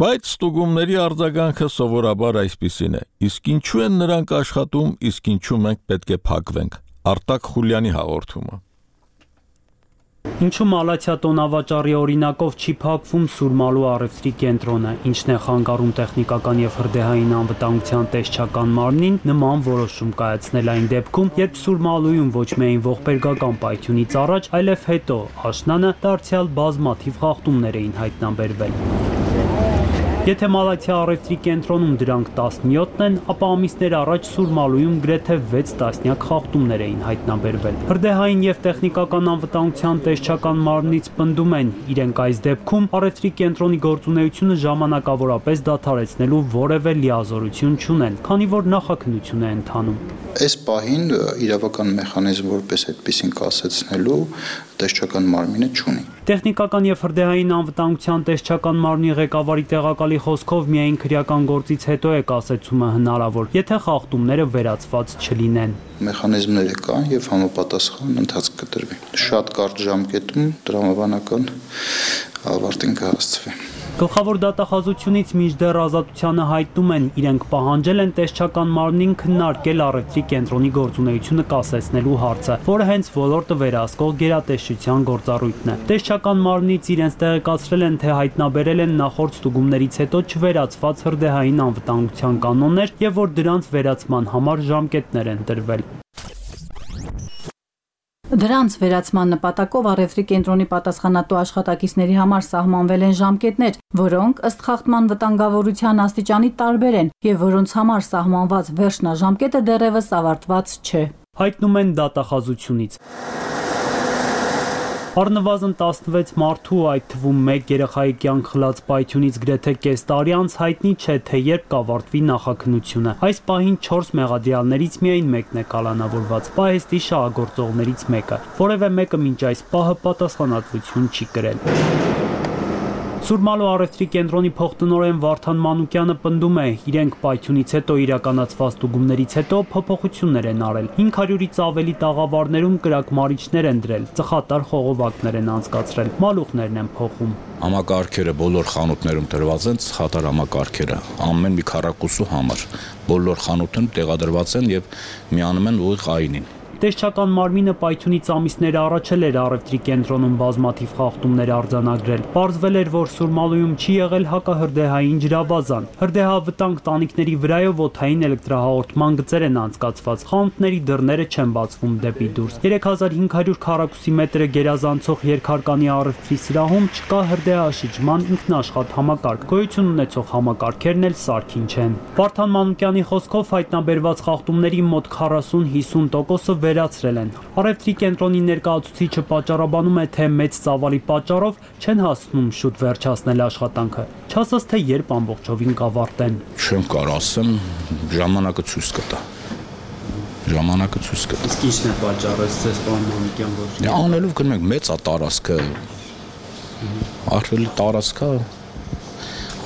բայց ստուգումների արձագանքը սովորաբար այսպիսին է. իսկ ինչու են նրանք աշխատում, իսկ ինչու մենք պետք է փակվենք։ Արտակ Խուլյանի հաղորդումը։ Ինչու Մալաթիա տոնավաճառի օրինակով չի փակվում Սուրմալու առևտրի կենտրոնը, ինչն է խանգարում տեխնիկական եւ հրդեհային անվտանգության տեսչական մարմնին նման որոշում կայացնել այն դեպքում, երբ Սուրմալույում ոչ միայն ողբերգական պայթյունից առաջ, այլև հետո աշնանը դարձյալ բազմաթիվ խախտումներ էին հայտնաբերվել։ Եթե Մալաթիա առևտրի կենտրոնում դրանք 17-ն են, ապա ամիսներ առաջ Սուրմալույում գրեթե 6 տասնյակ խախտումներ էին հայտնաբերվել։ Հրդեհային եւ տեխնիկական անվտանգության տեսչական մարմնից պնդում են, իրենք այս դեպքում առևտրի կենտրոնի գործունեությունը ժամանակավորապես դադարեցնելու որևէ լիազորություն չունեն, քանի որ նախաքննություն է ընթանում։ Այս պահին իրավական մեխանիզմ որպես այդպեսին կասեցնելու տեսչական մարմինը չունի։ Տեխնիկական եւ հրդեհային անվտանգության տեսչական մարմնի ղեկավարի տեղակալի խոսքով միայն քրեական գործից հետո է կասեցումը հնարավոր, եթե խախտումները վերացված չլինեն։ Մեխանիզմները կան եւ համապատասխան ընթացք կտրվի։ Շատ կարճ ժամկետում տրամաբանական ավարտին կհասցվի։ Գլխավոր դատախազությունից մինչդեռ Ազատությանը հայտնում են, իրենք պահանջել են տեսչական մարմնին քննարկել առևտրի կենտրոնի գործունեությունը կասեցնելու հարցը, որը հենց ոլորտը վերահսկող գերատեսչության գործառույթն է։ Տեսչական մարմնից իրենց տեղեկացրել են, թե հայտնաբերել են նախորդ ստուգումներից հետո չվերացված հրդեհային անվտանգության կանոններ եւ որ դրանց վերացման համար ժամկետներ են տրվել։ Դրանց վերացման նպատակով առևտրի կենտրոնի պատասխանատու աշխատակիցների համար սահմանվել են ժամկետներ, որոնք ըստ խախտման վտանգավորության աստիճանի տարբեր են եւ որոնց համար սահմանված վերջնաժամկետը դեռևս ավարտված չէ։ Հայտնում են դատախազությունից։ Առնվազն 16 մարդու, այդ թվում 1 երեխայի կյանք խլած պայթյունից գրեթե կես տարի անց հայտնի չէ, թե երբ կավարտվի նախաքննությունը։ Այս պահին 4 մեղադրյալներից միայն մեկն է կալանավորված, պահեստի շահագործողներից մեկը, որևէ մեկը մինչ այս պահը պատասխանատվություն չի կրել։ Սուրմալու առևտրի կենտրոնի փոխտնօրեն Վարդան Մանուկյանը պնդում է, իրենք պայթյունից հետո իրականացված ստուգումներից հետո փոփոխություններ են արել։ 500-ից ավելի տաղավարներում կրակմարիչներ են դրել, ծխատար խողովակներ են անցկացրել, մալուխներն են փոխում։ Համակարգերը բոլոր խանութներում տրված են ծխատար համակարգերը, ամեն մի քառակուսու համար։ Բոլոր խանութներում տեղադրված են եւ միանում են ուղիղ այնին։ Տեսչական մարմինը պայթյունից ամիսներ առաջ էր առևտրի կենտրոնում բազմաթիվ խախտումներ արձանագրել։ Պարզվել էր, որ Սուրմալույում չի եղել հակահրդեհային ջրավազան։ Հրդեհավտանգ տանիքների վրայով օդային էլեկտրահաղորդման գծեր են անցկացված։ Խանութների դռները չեն բացվում դեպի դուրս։ 3500 քառակուսի մետրը գերազանցող երկհարկանի առևտրի սրահում չկա հրդեհաշիջման ինքնաշխատ համակարգ։ Գոյություն ունեցող համակարգերն էլ սարքին չեն։ Վարդան Մանուկյանի խոսքով հայտնաբերված խախտումների մոտ 40-50%-ը վերացրել են։ Առևտրի կենտրոնի ներկայացուցիչը պատճառաբանում է, թե մեծ ծավալի պատճառով չեն հասնում շուտ վերջացնել աշխատանքը։ Չասած թե երբ ամբողջովին կավարտեն։ Չեմ կարող ասեմ, ժամանակը ցույց կտա։ Իսկ ի՞նչն է պատճառը, ցես պարոն Մանուկյան, որ անելով գնում ենք մեծ տարածքը, ահռելի տարածքը,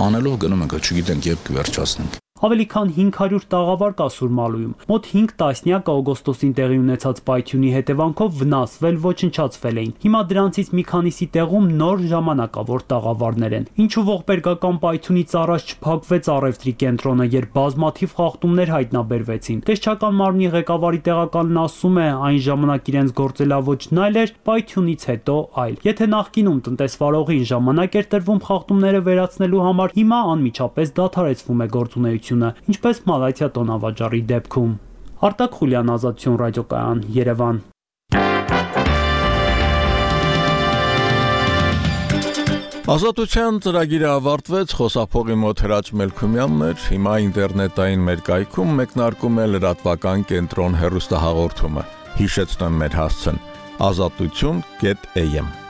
անելով գնում ենք, չգիտենք երբ կվերջացնենք։ Ավելի քան 500 տաղավար կա Սուրմալույում։ Մոտ 5 տասնյակ օգոստոսին տեղի ունեցած պայթյունի հետևանքով վնասվել, ոչնչացվել էին։ Հիմա դրանցից մի քանիսի տեղում նոր ժամանակավոր տաղավարներ են։ Ինչու ողբերգական պայթյունից առաջ չփակվեց առևտրի կենտրոնը, երբ բազմաթիվ խախտումներ հայտնաբերվեցին։ Տեսչական մարմնի ղեկավարի տեղականն ասում է, այն ժամանակ իրենց գործելավոճն այլ էր, պայթյունից հետո այլ։ Եթե նախկինում տնտեսվարողին ժամանակ էր տրվում խախտումները վերացնելու համար, հիմա անմիջապես դադարեցվում է գործունեությունը, ինչպես Մալաթիա տոնավաճառի դեպքում։ Արտակ Խուլյան, Ազատություն ռադիոկայան, Երևան։ Ազատության ծրագիրը ավարտվեց, խոսափողի մոտ Հրաչ Մելքումյանն էր, հիմա ինտերնետային մեր կայքում մեկնարկում է լրատվական կենտրոն հեռուստահաղորդումը։ Հիշեցնեմ մեր հասցեն՝ azatutun.am